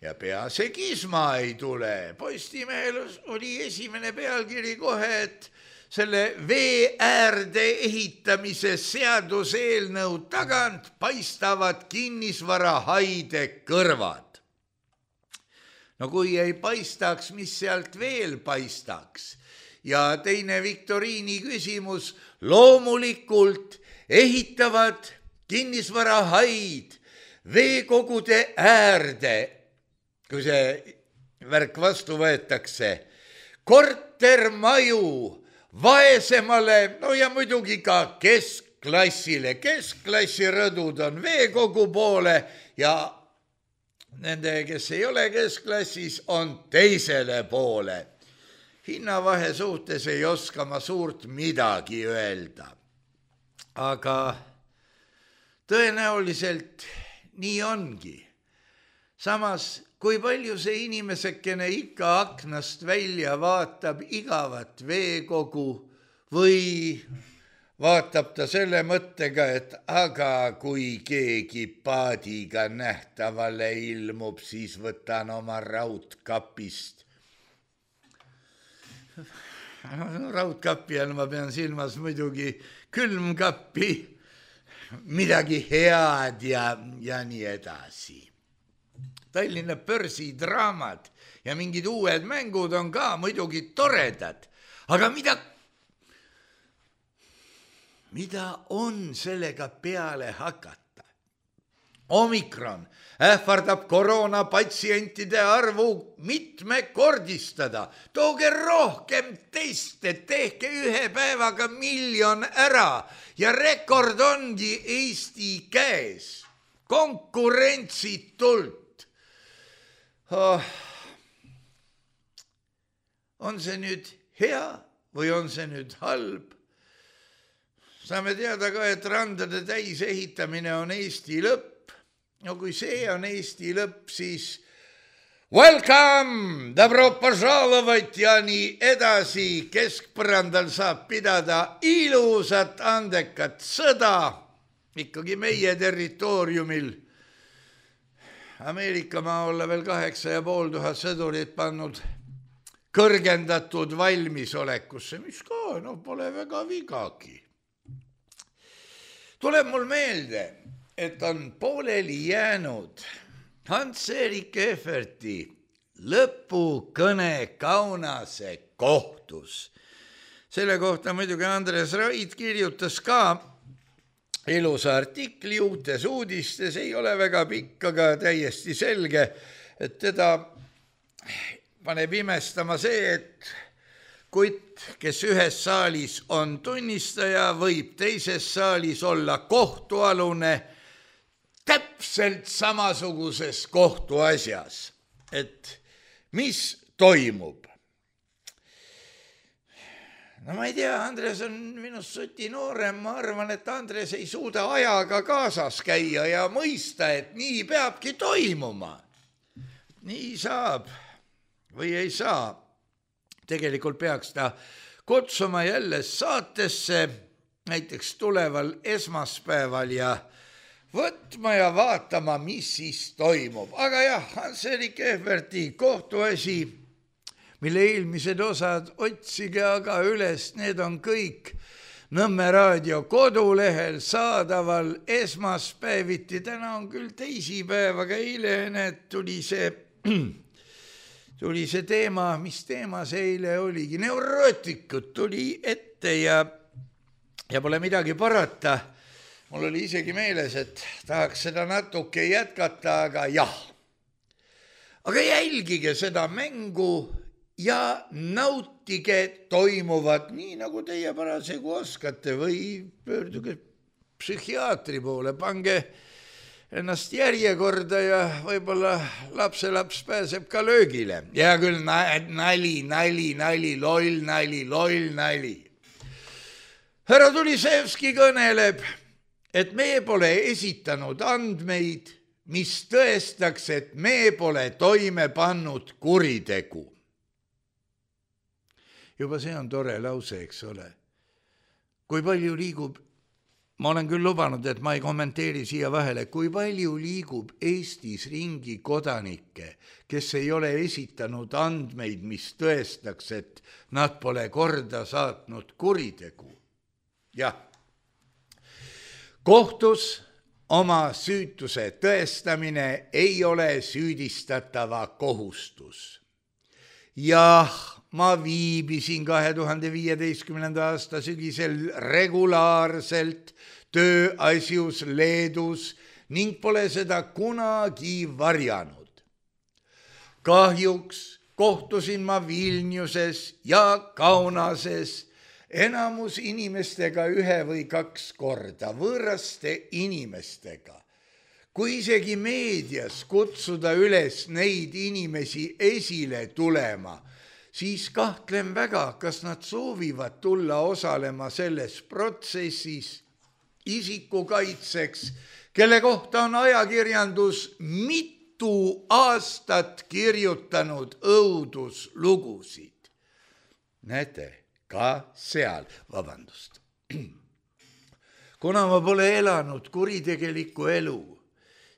ja pea see kisma ei tule. Postimehel oli esimene pealkiri kohe, et selle vee äärde ehitamise seaduseelnõu tagant paistavad kinnisvarahaide kõrvad. No kui ei paistaks, mis sealt veel paistaks? Ja teine viktoriini küsimus, loomulikult ehitavad kinnisvarahaid veekogude äärde, kui see värk vastu võetakse, kortermaju vaesemale, no ja muidugi ka keskklassile. Keskklassi rõdud on veekogu poole ja nende, kes ei ole keskklassis, on teisele poole. Hinnavahe suhtes ei oska ma suurt midagi öelda. Aga tõenäoliselt nii ongi. Samas, kui palju see inimesekene ikka aknast välja vaatab igavat veekogu või vaatab ta selle mõttega, et aga kui keegi paadiga nähtavale ilmub, siis võtan oma raudkapist. Raudkapi all ma pean silmas muidugi külmkappi, midagi head ja nii edasi. Tallinna börsidraamad ja mingid uued mängud on ka muidugi toredad, aga mida on sellega peale hakata? Omikron ähvardab koroonapatsientide arvu mitmekordistada. Tooge rohkem teste, tehke 1 päevaga 1 miljon ära ja rekord ongi Eesti käes. Konkurentsitult. On see nüüd hea või on see nüüd halb? Saame teada ka, et randade täis ehitamine on Eesti lõpp. No kui see on Eesti lõpp, siis welcome, добро пожаловать ja nii edasi. Keskpõrandal saab pidada ilusat andekat sõda, ikkagi meie territooriumil. Ameerika maa olla veel 8500 sõdurit pannud kõrgendatud valmisolekusse, mis ka pole väga vigagi. Tuleb mul meelde, et on pooleli jäänud Hans-Erik Ehverti lõpukõne Kaunase kohtus. Selle kohta muidugi Andres Raid kirjutas ka ilusa artikli Uutes uudistes, ei ole väga pikk, aga täiesti selge, et teda paneb imestama see, et kutt, kes ühes saalis on tunnistaja, võib teises saalis olla kohtualune täpselt samasuguses kohtuasjas. Et mis toimub? No ma ei tea, Andres on minust suti noorem, ma arvan, et Andres ei suuda ajaga kaasas käia ja mõista, et nii peabki toimuma. Nii saab või ei saa. Tegelikult peaks ta kutsuma jälle saatesse, näiteks tuleval esmaspäeval ja võtma ja vaatama, mis siis toimub. Aga jah, Hans-Erik Ehverti kohtuasi, mille eelmised osad otsige aga üles, need on kõik Nõmme raadio kodulehel saadaval esmaspäeviti. Täna on küll teisipäev, aga eile tuli see teema, mis teema see eile oligi? Neurootikud tuli ette ja pole midagi parata. Mul oli isegi meeles, et tahaks seda natuke jätkata, aga jah. Aga jälgige seda mängu ja nautige toimuvat nii, nagu teie parasjagu oskate või pöörduge psühhiaatri poole, pange ennast järjekorda ja võib-olla lapselaps pääseb ka löögile. Ja küll nali, loll nali. Härra Tulisevski kõneleb, et me pole esitanud andmeid, mis tõestaks, et me pole toime pannud kuritegu. Juba see on tore lause, eks ole. Kui palju liigub ma olen küll lubanud, et ma ei kommenteeri siia vahele, kui palju liigub Eestis ringi kodanikke, kes ei ole esitanud andmeid, mis tõestaks, et nad pole korda saatnud kuritegu. Jah, kohtus oma süütuse tõestamine ei ole süüdistatava kohustus. Jah, ma viibisin 2015. aasta sügisel regulaarselt tööasjus Leedus ning pole seda kunagi varjanud. Kahjuks kohtusin ma Vilniuses ja Kaunases enamus inimestega 1 või 2 korda, võõraste inimestega. Kui isegi meedias kutsuda üles neid inimesi esile tulema, siis kahtlen väga, kas nad soovivad tulla osalema selles protsessis isikukaitseks, kelle kohta on ajakirjandus mitu aastat kirjutanud õuduslugusid. Näete, ka seal, vabandust. Kuna ma pole elanud kuritegelikku elu,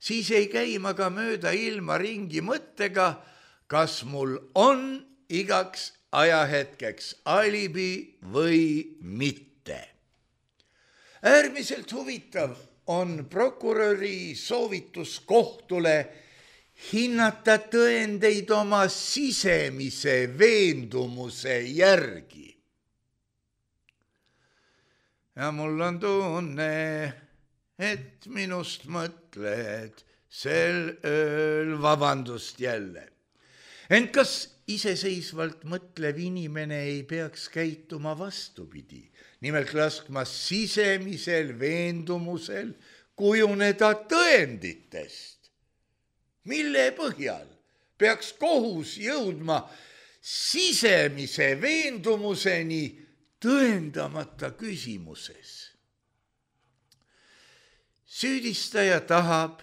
siis ei käi ma ka mööda ilma ringi mõttega, kas mul on igaks ajahetkeks alibi või mitte. Äärmiselt huvitav on prokuröri soovitus kohtule hinnata tõendeid oma sisemise veendumuse järgi. Ja mul on tunne, et minust mõtled sel ööl, vabandust jälle. Ent kas iseseisvalt mõtlev inimene ei peaks käituma vastupidi, nimelt laskma sisemisel veendumusel kujuneda tõenditest? Mille põhjal peaks kohus jõudma sisemise veendumuseni tõendamata küsimuses? Süüdistaja tahab,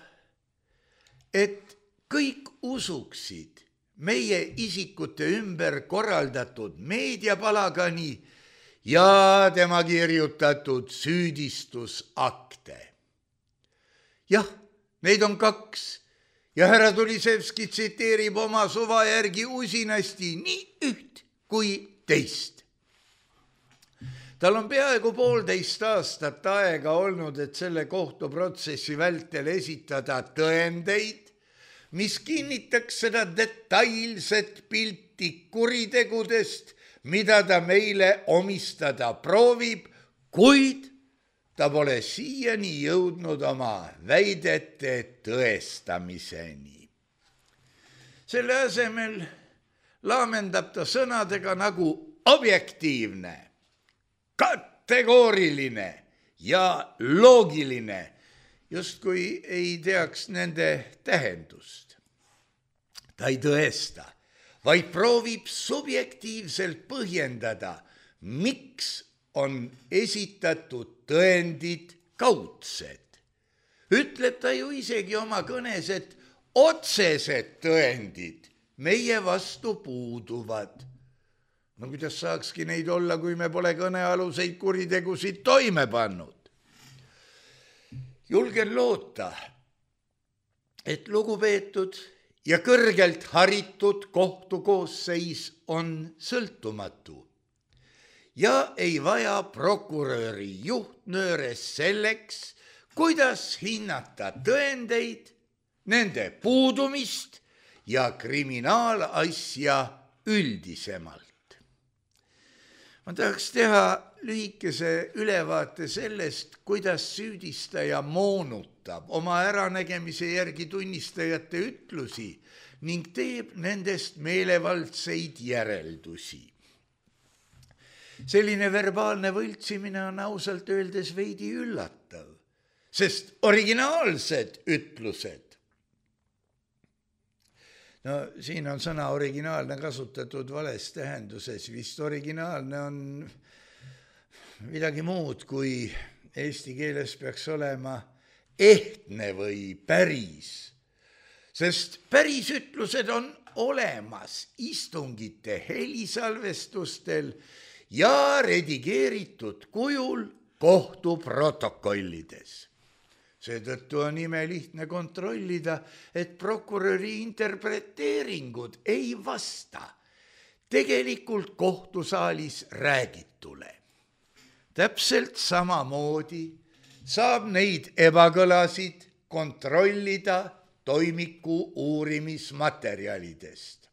et kõik usuksid meie isikute ümber korraldatud meediapalagani ja tema kirjutatud süüdistusakte. Jah, neid on 2 ja härra Tulisevski tsiteerib oma suva järgi usinasti nii üht kui teist. Tal on peaaegu 1,5 aastat aega olnud, et selle kohtuprotsessi vältel esitada tõendeid, mis kinnitaks seda detailset pilti kuritegudest, mida ta meile omistada proovib, kuid ta pole siiani jõudnud oma väidete tõestamiseni. Selle asemel laamendab ta sõnadega nagu objektiivne, kategooriline ja loogiline, justkui ei teaks nende tähendust. Ta ei tõesta, vaid proovib subjektiivselt põhjendada, miks on esitatud tõendid kaudsed. Ütleb ta ju isegi oma kõnes, et otsesed tõendid meie vastu puuduvad. No kuidas saakski neid olla, kui me pole kõnealuseid kuritegusid toime pannud? Julgen loota, et lugupeetud ja kõrgelt haritud kohtukoosseis on sõltumatu ja ei vaja prokuröri juhtnööres selleks, kuidas hinnata tõendeid, nende puudumist ja kriminaalasja üldisemalt. Ma tahaks teha lühikese ülevaate sellest, kuidas süüdistaja moonutab oma äranägemise järgi tunnistajate ütlusi ning teeb nendest meelevaldseid järeldusi. Selline verbaalne võltsimine on ausalt öeldes veidi üllatav, sest originaalsed ütlused, no siin on sõna originaalne kasutatud vales tähenduses, vist originaalne on midagi muud, kui eesti keeles peaks olema ehtne või päris. Sest pärisütlused on olemas istungite helisalvestustel ja redigeeritud kujul kohtuprotokollides. Seetõttu on imelihtne kontrollida, et prokuröri interpreteeringud ei vasta tegelikult kohtusaalis räägitule. Täpselt samamoodi saab neid ebakõlasid kontrollida toimiku uurimismaterjalidest.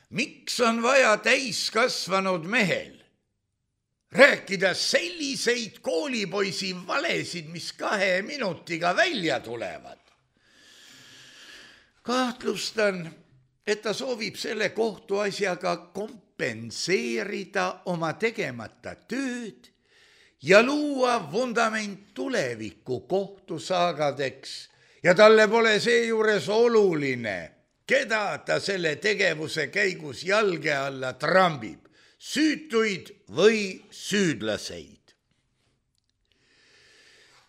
Miks on vaja täiskasvanud mehel rääkida selliseid koolipoisi valesid, mis 2 minutiga välja tulevad? Kahtlustan, et ta soovib selle kohtuasjaga kompenseerida oma tegemata tööd ja luua vundament tuleviku kohtusaagadeks ja talle pole seejuures oluline, keda ta selle tegevuse käigus jalge alla trambib, süütuid või süüdlaseid.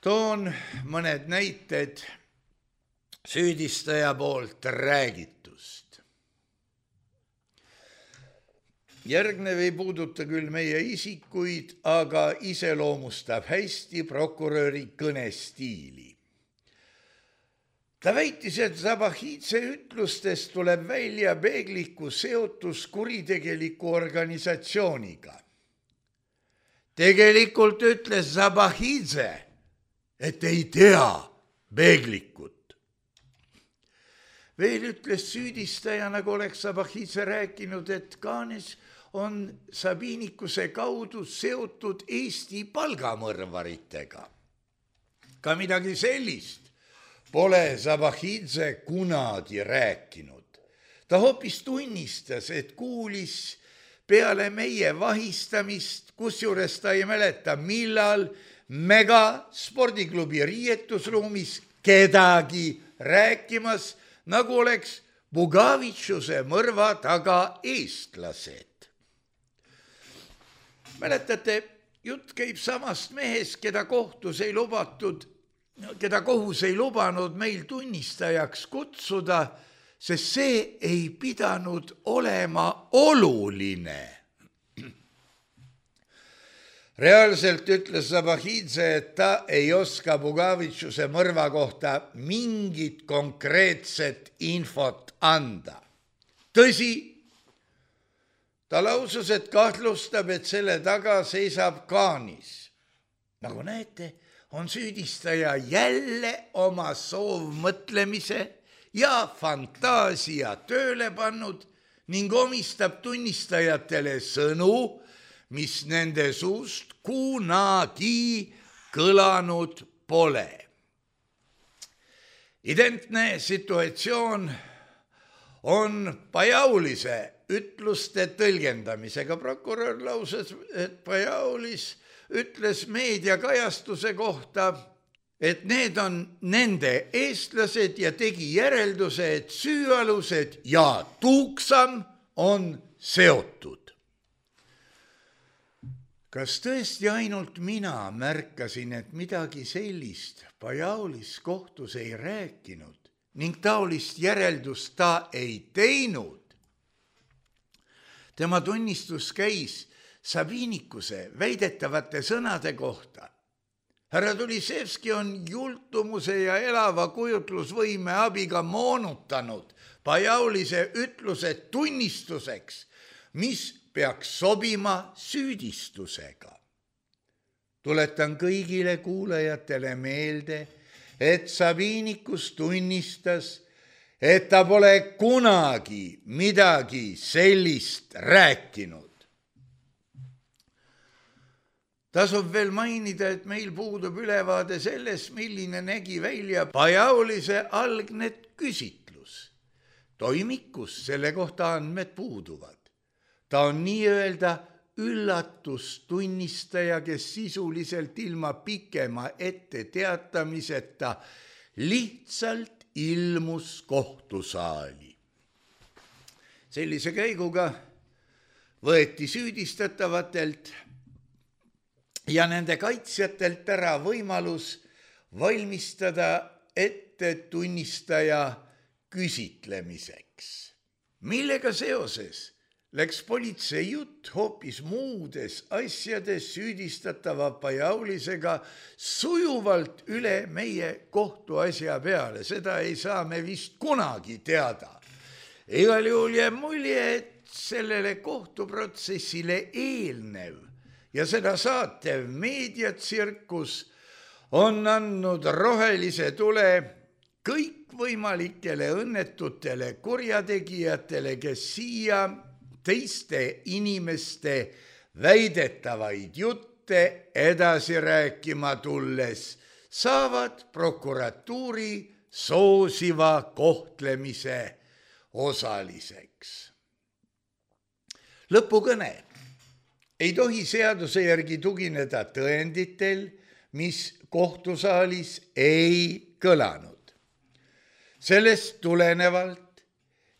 Toon mõned näited süüdistaja poolt räägitust. Järgnev ei puuduta küll meie isikuid, aga iseloomustab hästi prokuröri kõnestiili. Ta väitis, et Zabahidze ütlustest tuleb välja peegliku seotus kuritegeliku organisatsiooniga. Tegelikult ütles Zabahidze, et ei tea peeglikut. Veel ütles süüdistaja, nagu oleks Zabahidze rääkinud, et Kaanes on Sabinikuse kaudu seotud Eesti palgamõrvaritega. Ka midagi sellist pole Zabahidze kunagi rääkinud. Ta hoopis tunnistas, et kuulis peale meie vahistamist, kusjuures ta ei mäleta, millal Mega spordiklubi riietusruumis kedagi rääkimas, nagu oleks Bugavitšuse mõrva taga eestlased. Mäletate, jutt käib samast mehest, keda kohus ei lubanud meil tunnistajaks kutsuda, sest see ei pidanud olema oluline. Reaalselt ütles Zabahidze, et ta ei oska Bugavitšuse mõrva kohta mingit konkreetset infot anda. Tõsi, ta lausus, et kahtlustab, et selle taga seisab Kaanis. Nagu näete, on süüdistaja jälle oma soovmõtlemise ja fantaasia tööle pannud ning omistab tunnistajatele sõnu, mis nende suust kunagi kõlanud pole. Identne situatsioon on Pajaulise ütluste tõlgendamisega. Prokurör lauses, et Pajaulis ütles meediakajastuse kohta, et need on nende eestlased ja tegi järelduse, et süüalused ja Tuuksam on seotud. Kas tõesti ainult mina märkasin, et midagi sellist Pajaulis kohtus ei rääkinud ning taolist järeldust ta ei teinud? Tema tunnistus käis Sabinikuse väidetavate sõnade kohta. Härra Tulisevski on jultumuse ja elava kujutlusvõime abiga moonutanud Pajaulise ütlused tunnistuseks, mis peaks sobima süüdistusega. Tuletan kõigile kuulajatele meelde, et Sabinikus tunnistas, et ta pole kunagi midagi sellist rääkinud. Tasub veel mainida, et meil puudub ülevaade sellest, milline nägi välja Pajaulise algne küsitlus. Toimikus selle kohta andmed puuduvad. Ta on nii-öelda üllatustunnistaja, kes sisuliselt ilma pikema ette teatamiseta lihtsalt ilmus kohtusaali. Sellise käiguga võeti süüdistatavatelt ja nende kaitsjatelt ära võimalus valmistada ette tunnistaja küsitlemiseks, millega seoses läks politsei jutt hoopis muudes asjades süüdistatava Pajaulisega sujuvalt üle meie kohtuasja peale. Seda ei saa me vist kunagi teada. Igal juhul jääb mulje, et sellele kohtuprotsessile eelnev ja seda saatev meediatsirkus on andnud rohelise tule kõikvõimalikele õnnetutele kurjategijatele, kes siia teiste inimeste väidetavaid jutte edasi rääkima tulles saavad prokuratuuri soosiva kohtlemise osaliseks. Lõpukõne ei tohi seaduse järgi tugineda tõenditel, mis kohtusaalis ei kõlanud. Sellest tulenevalt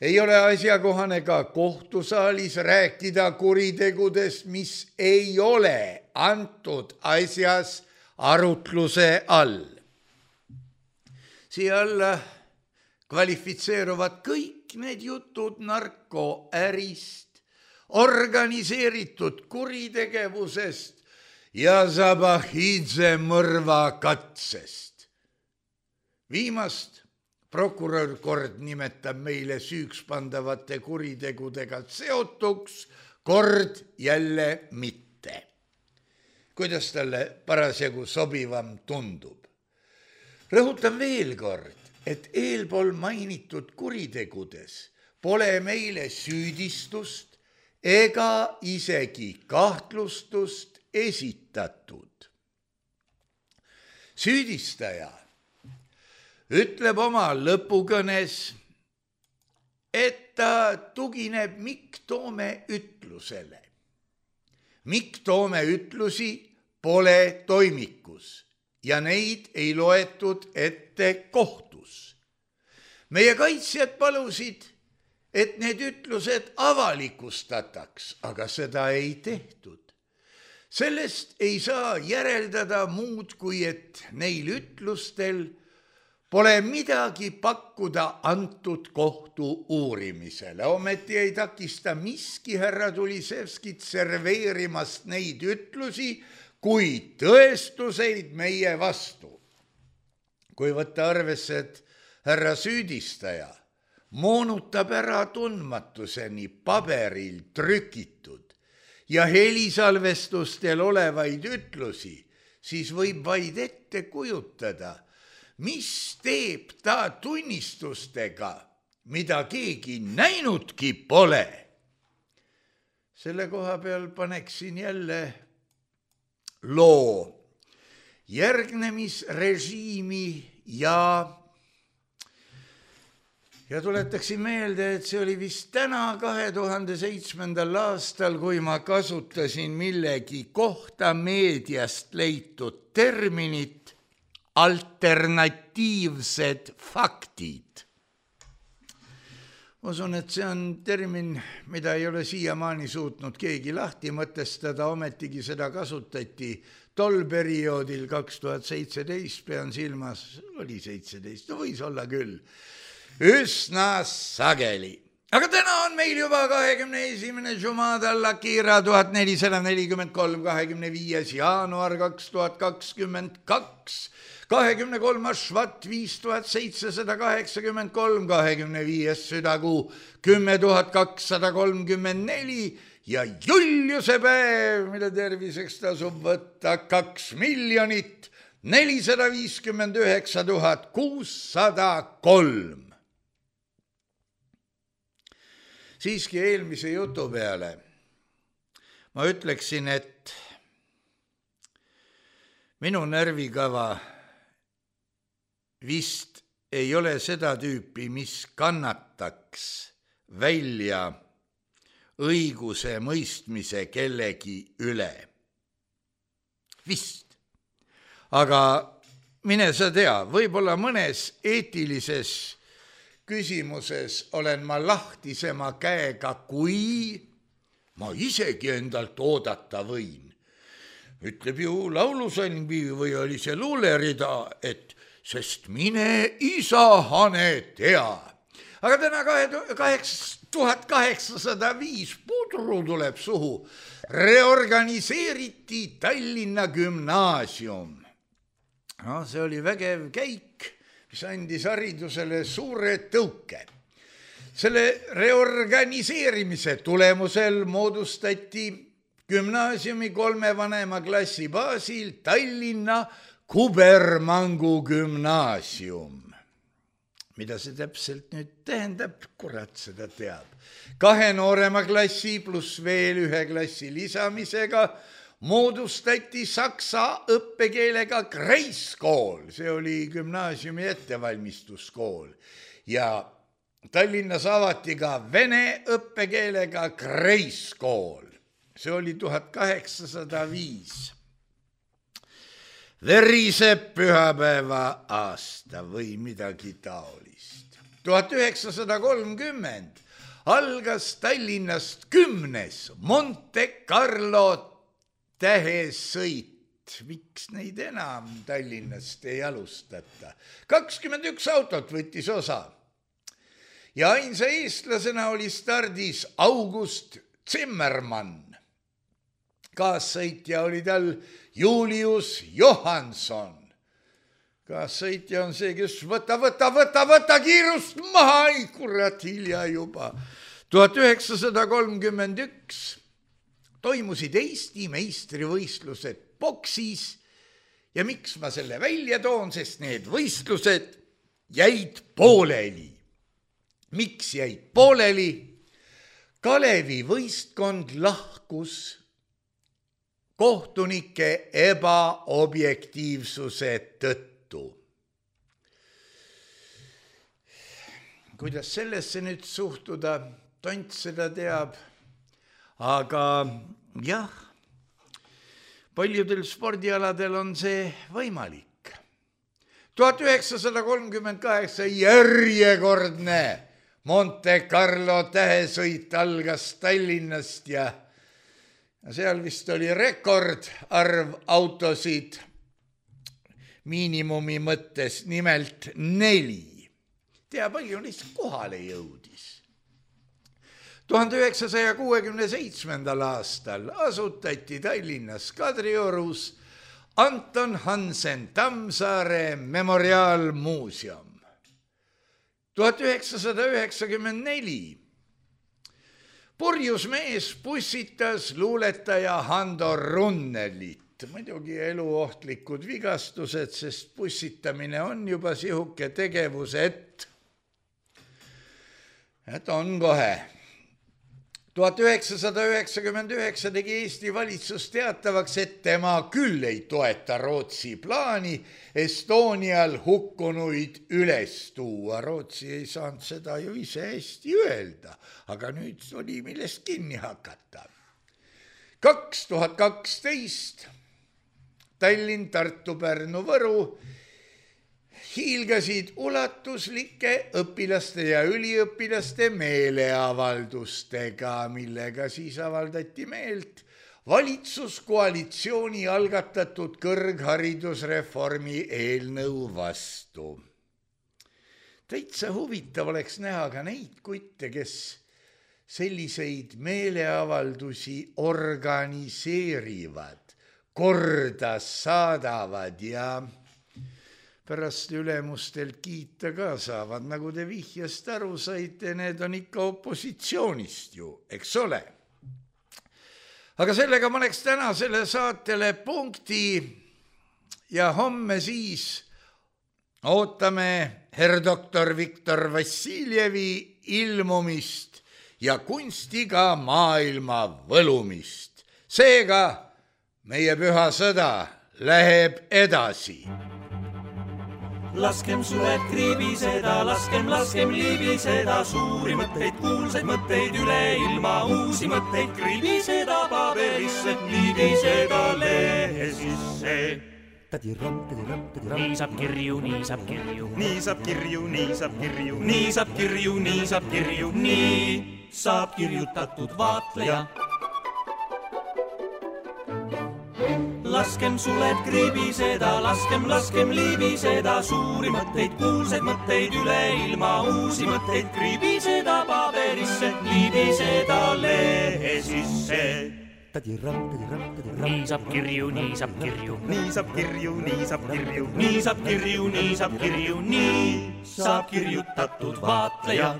ei ole asjakohane ka kohtusaalis rääkida kuritegudest, mis ei ole antud asjas arutluse all. Siia alla kvalifitseeruvad kõik need jutud narkoärist, organiseeritud kuritegevusest ja Zabahidze mõrva katsest. Viimast prokurör kord nimetab meile süüks pandavate kuritegudega seotuks, kord jälle mitte. Kuidas talle parasjagu sobivam tundub? Rõhutan veel kord, et eelpool mainitud kuritegudes pole meile süüdistust ega isegi kahtlustust esitatud. Süüdistaja ütleb oma lõpukõnes, et ta tugineb Mikk Toome ütlusele. Mikk Toome ütlusi pole toimikus ja neid ei loetud ette kohtus. Meie kaitsjad palusid, et need ütlused avalikustataks, aga seda ei tehtud. Sellest ei saa järeldada muud, kui et neil ütlustel pole midagi pakkuda antud kohtu uurimisele. Ometi ei takista miski härra Tulisevskit serveerimast neid ütlusi kui tõestuseid meie vastu. Kui võtta arvesse, et härra süüdistaja moonutab ära tundmatuseni paberil trükitud ja helisalvestustel olevaid ütlusi, siis võib vaid ette kujutada, mis teeb ta tunnistustega, mida keegi näinudki pole. Selle koha peal paneksin jälle loo järgnemisrežiimi ja tuletaksin meelde, et see oli vist täna 2007. aastal, kui ma kasutasin millegi kohta meediast leitud terminit alternatiivsed faktid. Usun, et see on termin, mida ei ole siiamaani suutnud keegi lahti mõtestada, ometigi seda kasutati tol perioodil 2017, pean silmas, oli 17, no võis olla küll, üsna sageli. Aga täna on meil juba 21. Jumada al-Akira 1443, 25. jaanuar 2022, 23. Švat 5783, 25. südakuu 10234 ja Juliuse päev, mille terviseks tasub võtta 2 459 603. Siiski eelmise jutu peale ma ütleksin, et minu närvikava vist ei ole seda tüüpi, mis kannataks välja õiguse mõistmise kellegi üle. Vist. Aga mine sa tea, võib-olla mõnes eetilises küsimuses olen ma lahtisema käega, kui ma isegi endalt oodata võin. Ütleb ju laulusalmi või oli see luulerida, et sest mine isa hane tea. Aga täna 1805 pudru tuleb suhu. Reorganiseeriti Tallinna gümnaasium. No, see oli vägev käik, mis andis haridusele suure tõuke. Selle reorganiseerimise tulemusel moodustati gümnaasiumi 3 vanema klassi baasil Tallinna Kubermangu gümnaasium. Mida see täpselt nüüd tähendab, kurat seda teab. 2 noorema klassi pluss veel 1 klassi lisamisega moodustati saksa õppekeelega Kreiskool. See oli gümnaasiumi ettevalmistuskool. Ja Tallinnas avati ka vene õppekeelega Kreiskool. See oli 1805. Veriseb pühapäeva aasta või midagi taolist. 1930 algas Tallinnast 10. Monte Carlo tähesõit. Miks neid enam Tallinnast ei alustata? 21 autot võttis osa. Ja ainsa eestlasena oli stardis August Zimmermann. Kaassõitja oli tal Julius Johansson. Kaassõitja on see, kes võta kiirust maha, ei kurat, hilja juba. 1931 toimusid Eesti meistrivõistlused boksis ja miks ma selle välja toon, sest need võistlused jäid pooleli. Miks jäid pooleli? Kalevi võistkond lahkus kohtunike ebaobjektiivsuse tõttu. Kuidas sellesse nüüd suhtuda, tont seda teab, aga jah, paljudel spordialadel on see võimalik. 1938 järjekordne Monte Carlo tähesõit algas Tallinnast ja seal vist oli rekordarv autosid miinimumi mõttes, nimelt 4. Tea, palju neist kohale jõudis. 1967. aastal asutati Tallinnas Kadriorus Anton Hansen Tammsaare memoriaalmuuseum. 1994 purjus mees pussitas luuletaja Hando Runnelit. Muidugi eluohtlikud vigastused, sest pussitamine on juba sihuke tegevus, et on kohe. 1999 tegi Eesti valitsus teatavaks, et tema küll ei toeta Rootsi plaani Estonial hukkunuid üles tuua. Rootsi ei saanud seda ju ise hästi öelda, aga nüüd oli millest kinni hakata. 2012 Tallinn, Tartu, Pärnu, Võru hiilgasid ulatuslike õpilaste ja üliõpilaste meeleavaldustega, millega siis avaldati meelt valitsuskoalitsiooni algatatud kõrgharidusreformi eelnõu vastu. Täitsa huvitav oleks näha ka neid kutte, kes selliseid meeleavaldusi organiseerivad, korda saadavad ja pärast ülemustelt kiita ka saavad, nagu te vihjast aru saite, need on ikka opositsioonist ju, eks ole. Aga sellega ma oleks tänasele saatele punkti ja homme siis ootame herr doktor Viktor Vassiljevi ilmumist ja kunstiga maailma võlumist. Seega meie püha sõda läheb edasi. Laskem sued kriibiseda, laskem liibiseda, suuri mõtteid, kuulsaid mõtteid, üle ilma uusi mõtteid, kriibiseda paberisse, liibiseda lehe sisse. Nii saab kirju, nii saab kirju. Nii saab kirju, nii saab kirju. Nii saab kirju, nii saab kirju. Nii saab kirjutatud vaatleja. laskem suled kribiseda, laskem libiseda, suuri mõtteid, kuulsaid mõtteid üle ilma, uusi mõtteid kribiseda paberisse, libiseda lehe sisse. nii saab kirju, nii saab kirju, nii saab kirju, nii saab kirju, nii saab kirju, nii saab kirju, nii saab kirjutatud vaatleja.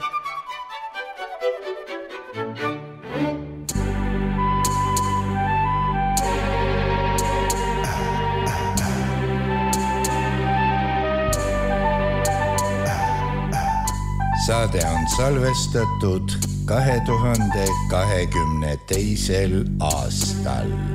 Saade on salvestatud 2022. aastal.